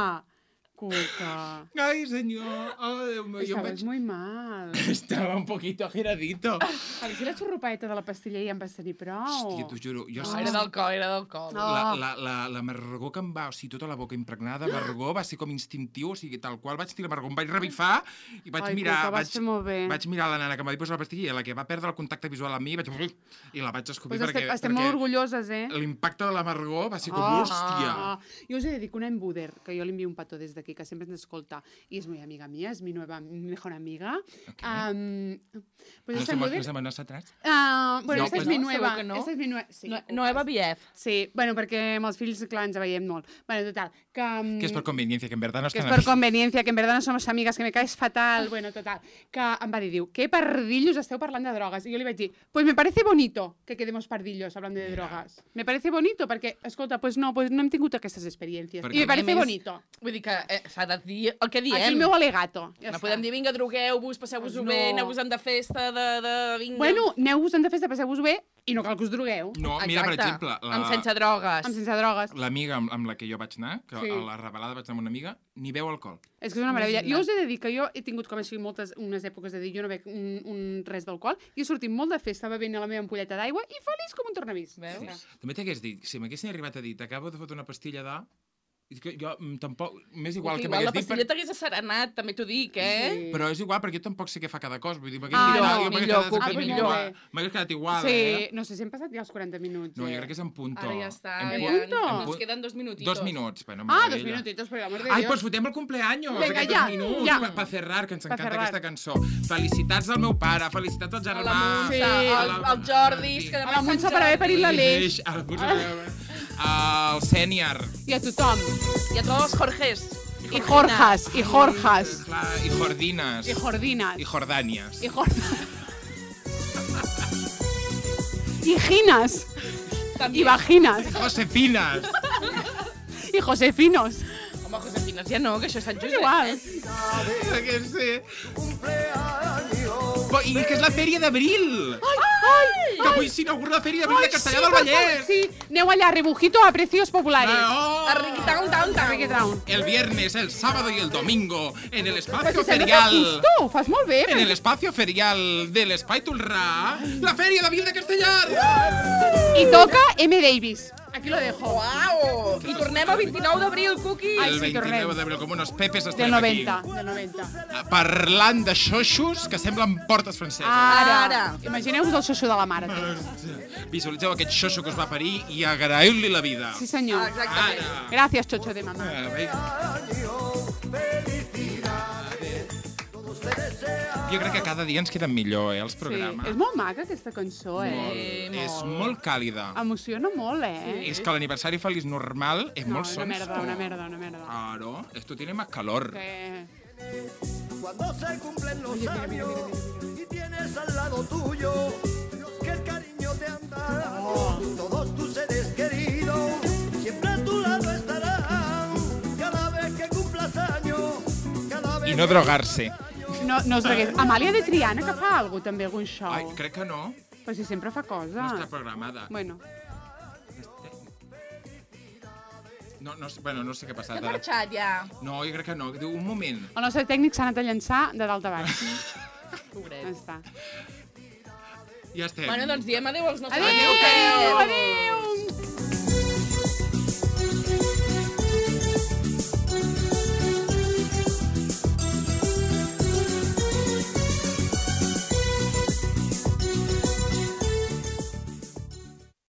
[SPEAKER 2] Cuca.
[SPEAKER 1] Ai, senyor. Oh, Déu meu, jo em
[SPEAKER 2] Estabas
[SPEAKER 1] vaig...
[SPEAKER 2] muy mal.
[SPEAKER 1] Estava un poquito giradito.
[SPEAKER 2] A veure si la xurrupaeta de la pastilla ja em vas tenir prou.
[SPEAKER 1] Hòstia, t'ho juro. Jo
[SPEAKER 3] No, era d'alcohol, era d'alcohol.
[SPEAKER 2] No.
[SPEAKER 1] La, la, la, la marragó que em va, o sigui, tota la boca impregnada de marragó va ser com instintiu, o sigui, tal qual vaig tirar marragó, em vaig revifar i vaig
[SPEAKER 2] Ai,
[SPEAKER 1] mirar...
[SPEAKER 2] Cuca, vas
[SPEAKER 1] vaig,
[SPEAKER 2] fer molt bé.
[SPEAKER 1] vaig mirar la nana que m'havia posat la pastilla i la que va perdre el contacte visual amb mi, vaig... i la vaig escopir
[SPEAKER 2] Pues
[SPEAKER 1] perquè...
[SPEAKER 2] estem, estem molt orgulloses, eh?
[SPEAKER 1] L'impacte de la marragó va ser com,
[SPEAKER 2] Ah,
[SPEAKER 1] hòstia!
[SPEAKER 2] ah. Jo us he de dir que una embuder, que jo li envio un petó des d'aquí, que sempre ens escolta, i és muy amiga mía, és mi nueva mejor amiga.
[SPEAKER 1] Ok.
[SPEAKER 2] Um, pues
[SPEAKER 1] ¿No
[SPEAKER 2] esta
[SPEAKER 1] somos,
[SPEAKER 2] embuder...
[SPEAKER 1] ¿No somos nosotras?
[SPEAKER 2] Uh, bueno,
[SPEAKER 1] No,
[SPEAKER 2] esta
[SPEAKER 1] pues
[SPEAKER 2] és mi
[SPEAKER 3] no,
[SPEAKER 2] nueva.
[SPEAKER 3] segur que no.
[SPEAKER 2] Esta és mi nueva. Sí,
[SPEAKER 3] No,
[SPEAKER 2] Cuca.
[SPEAKER 3] Noeva Bief.
[SPEAKER 2] Sí, bueno, perquè amb els fills, clar, ens veiem molt. Bueno, total, que... um,
[SPEAKER 1] Que és per conveniencia, que en verdad no
[SPEAKER 2] que és
[SPEAKER 1] estan...
[SPEAKER 2] per conveniencia, que en verdad no somos amigas, que me caes fatal, bueno, total, que em va dir, diu, què pardillos esteu parlant de drogues? I jo li vaig dir, pues me parece bonito que quedemos pardillos hablando de drogas. Me parece bonito, perquè, escolta, pues no, pues no hem tingut aquestes experiències.
[SPEAKER 1] Perquè-
[SPEAKER 2] I me parece
[SPEAKER 3] A més,
[SPEAKER 2] bonito.
[SPEAKER 3] Vull dir que eh, s'ha de dir el que diem.
[SPEAKER 2] Aquí el meu alegato. Ja
[SPEAKER 3] No
[SPEAKER 2] està.
[SPEAKER 3] podem dir, vinga, drogueu-vos, passeu-vos-ho
[SPEAKER 2] Pues
[SPEAKER 3] bé,
[SPEAKER 2] no.
[SPEAKER 3] aneu-vos-en de festa, de... de vinga.
[SPEAKER 2] Bueno, aneu-vos-en de festa, passeu-vos bé, i no cal que us drogueu.
[SPEAKER 1] No, mira, per
[SPEAKER 3] Exacte.
[SPEAKER 1] exemple, la...
[SPEAKER 3] Amb sense drogues.
[SPEAKER 2] Amb sense drogues.
[SPEAKER 1] l'amiga amb, amb la que jo vaig anar, que
[SPEAKER 2] Sí.
[SPEAKER 1] a la revelada vaig anar amb una amiga, ni beu alcohol.
[SPEAKER 2] És que és una meravella.
[SPEAKER 3] Imagina't.
[SPEAKER 2] Jo us he de dir que jo he tingut com així moltes, unes èpoques de dir jo no bec un, un res d'alcohol i he sortit molt de festa bevent a la meva ampolleta d'aigua i feliç com un tornavís.
[SPEAKER 3] Veus?
[SPEAKER 1] També t'hagués dit, si m'haguessin arribat a dir, t'acabo de fotre una pastilla de... És que jo mm, tampoc... M'és igual que
[SPEAKER 3] Igual la
[SPEAKER 1] m'hagués dit...
[SPEAKER 3] pastilla t'hagués asserenat, també t'ho dic, eh?
[SPEAKER 2] Sí.
[SPEAKER 1] Però és igual, perquè jo tampoc sé què fa cada cos. Vull dir, m'hagués
[SPEAKER 2] Ah,
[SPEAKER 1] dit,
[SPEAKER 2] no,
[SPEAKER 1] jo m'hagués
[SPEAKER 3] millor,
[SPEAKER 1] quedat
[SPEAKER 3] Cuqui,
[SPEAKER 1] exactament
[SPEAKER 2] millor.
[SPEAKER 1] igual. M'hagués quedat igual,
[SPEAKER 2] Sí,
[SPEAKER 1] eh?
[SPEAKER 2] no sé si hem passat ja els quaranta minuts.
[SPEAKER 1] No,
[SPEAKER 2] eh?
[SPEAKER 1] jo crec que és en punto.
[SPEAKER 3] Ara ja està.
[SPEAKER 1] En
[SPEAKER 3] ja,
[SPEAKER 1] punt-
[SPEAKER 2] punto?
[SPEAKER 1] en
[SPEAKER 3] Nos
[SPEAKER 1] punt-
[SPEAKER 3] queden dos minutitos.
[SPEAKER 1] Dos minuts. Bueno,
[SPEAKER 2] Ah, dos
[SPEAKER 1] meravella.
[SPEAKER 2] minutitos, por el amor de
[SPEAKER 1] Ai,
[SPEAKER 2] Dios.
[SPEAKER 1] pues fotem el cumpleaños,
[SPEAKER 2] Vinga,
[SPEAKER 1] aquests
[SPEAKER 2] ja,
[SPEAKER 1] dos minuts,
[SPEAKER 2] ja.
[SPEAKER 1] per pa cerrar, que ens
[SPEAKER 2] Pa
[SPEAKER 1] encanta
[SPEAKER 2] cerrar.
[SPEAKER 1] aquesta cançó. Felicitats al meu pare, felicitats al
[SPEAKER 3] A
[SPEAKER 1] germà.
[SPEAKER 3] la Montse,
[SPEAKER 2] Sí.
[SPEAKER 3] al, al Jordi,
[SPEAKER 1] Sí.
[SPEAKER 3] que demà
[SPEAKER 2] A la
[SPEAKER 3] és
[SPEAKER 2] Montse
[SPEAKER 3] Sant
[SPEAKER 2] per haver parit
[SPEAKER 3] Jordi.
[SPEAKER 2] l'Aleix.
[SPEAKER 1] A la Montse, al Sènior.
[SPEAKER 2] I a tothom.
[SPEAKER 3] I a tots els Jorges.
[SPEAKER 2] I Jorjas, i Jorjas.
[SPEAKER 1] Clar, i Jordines.
[SPEAKER 2] I Jordinas.
[SPEAKER 1] I Jordànies.
[SPEAKER 2] I Jorjas. I Ginas. I Vaginas.
[SPEAKER 1] Josefines.
[SPEAKER 2] I Josefinos.
[SPEAKER 3] Home, Josefines ja no, que això és Sant
[SPEAKER 2] És
[SPEAKER 3] Josep.
[SPEAKER 2] igual.
[SPEAKER 3] Eh?
[SPEAKER 1] Que sé. Però, I que és la fèria d'abril.
[SPEAKER 2] Ai, ai,
[SPEAKER 1] Que avui s'inaugura la fèria d'abril de Castellà del
[SPEAKER 2] per favor,
[SPEAKER 1] Vallès.
[SPEAKER 2] Sí, aneu allà, rebujito a precios populares.
[SPEAKER 1] Ah, oh.
[SPEAKER 3] A Riquitown, Town, Town.
[SPEAKER 2] Riquitown.
[SPEAKER 1] El viernes, el sábado y el domingo, en el
[SPEAKER 2] Però
[SPEAKER 1] espacio
[SPEAKER 2] si sembla que
[SPEAKER 1] ferial.
[SPEAKER 2] justo, ho fas molt bé.
[SPEAKER 1] En el espacio ferial del Espai Tulrà, la Fèria d'Abril de Castellar.
[SPEAKER 2] I toca M. Davis. Aquí lo dejo.
[SPEAKER 3] Uau! I tornem el vint-i-nou d'abril, Cuqui.
[SPEAKER 2] Ai,
[SPEAKER 1] El
[SPEAKER 2] sí,
[SPEAKER 1] vint-i-nou
[SPEAKER 2] tornem.
[SPEAKER 1] d'abril, com unos pepes
[SPEAKER 2] Del
[SPEAKER 1] estarem aquí.
[SPEAKER 2] noventa, del noventa.
[SPEAKER 1] Parlant de xoxos que semblen portes franceses.
[SPEAKER 2] Ara.
[SPEAKER 3] Ara.
[SPEAKER 2] Imagineu-vos el xoxo de la mare.
[SPEAKER 1] Visualitzeu aquest xoxo que us va parir i agraïu-li la vida.
[SPEAKER 2] Sí, senyor.
[SPEAKER 3] Exactament.
[SPEAKER 1] Ara.
[SPEAKER 2] Gràcies, xoxo de mamà.
[SPEAKER 1] Ah, bé. Jo crec que cada dia ens queden millor, eh, els
[SPEAKER 2] Sí,
[SPEAKER 1] programes.
[SPEAKER 2] és molt maca aquesta cançó, eh?
[SPEAKER 1] Molt. És molt càlida.
[SPEAKER 2] Emociona molt, eh?
[SPEAKER 1] És que l'aniversari feliç normal és
[SPEAKER 2] No,
[SPEAKER 1] molt
[SPEAKER 2] una
[SPEAKER 1] sons.
[SPEAKER 2] merda, una merda, una merda.
[SPEAKER 1] Claro, esto tiene más calor.
[SPEAKER 2] Que...
[SPEAKER 4] Cuando se cumplen los
[SPEAKER 2] Oye, mira, mira,
[SPEAKER 4] años
[SPEAKER 2] mira, mira,
[SPEAKER 4] y tienes al lado tuyo los que el cariño te han dado,
[SPEAKER 2] Oh.
[SPEAKER 4] todos tus seres queridos siempre a tu lado estarán. Cada vez que cumplas años, cada vez
[SPEAKER 1] I no drogar-se.
[SPEAKER 2] No, no us regués. Amàlia de Triana, que fa alguna també, algun show.
[SPEAKER 1] Ai, crec que no.
[SPEAKER 2] Però si sempre fa cosa.
[SPEAKER 1] No està programada.
[SPEAKER 2] Bueno,
[SPEAKER 1] No, no, sé- bueno, no sé què ha
[SPEAKER 3] Que
[SPEAKER 1] passat
[SPEAKER 3] ha
[SPEAKER 1] ara.
[SPEAKER 3] marxat ja.
[SPEAKER 1] No, jo crec que no. Diu, un moment.
[SPEAKER 2] el nostre tècnic s'ha anat a llançar de dalt a baix.
[SPEAKER 3] Pobret.
[SPEAKER 2] Ja està.
[SPEAKER 1] Ja estem.
[SPEAKER 3] Bueno, doncs diem adéu als nostres...
[SPEAKER 2] Adéu,
[SPEAKER 3] Adéu,
[SPEAKER 2] adéu!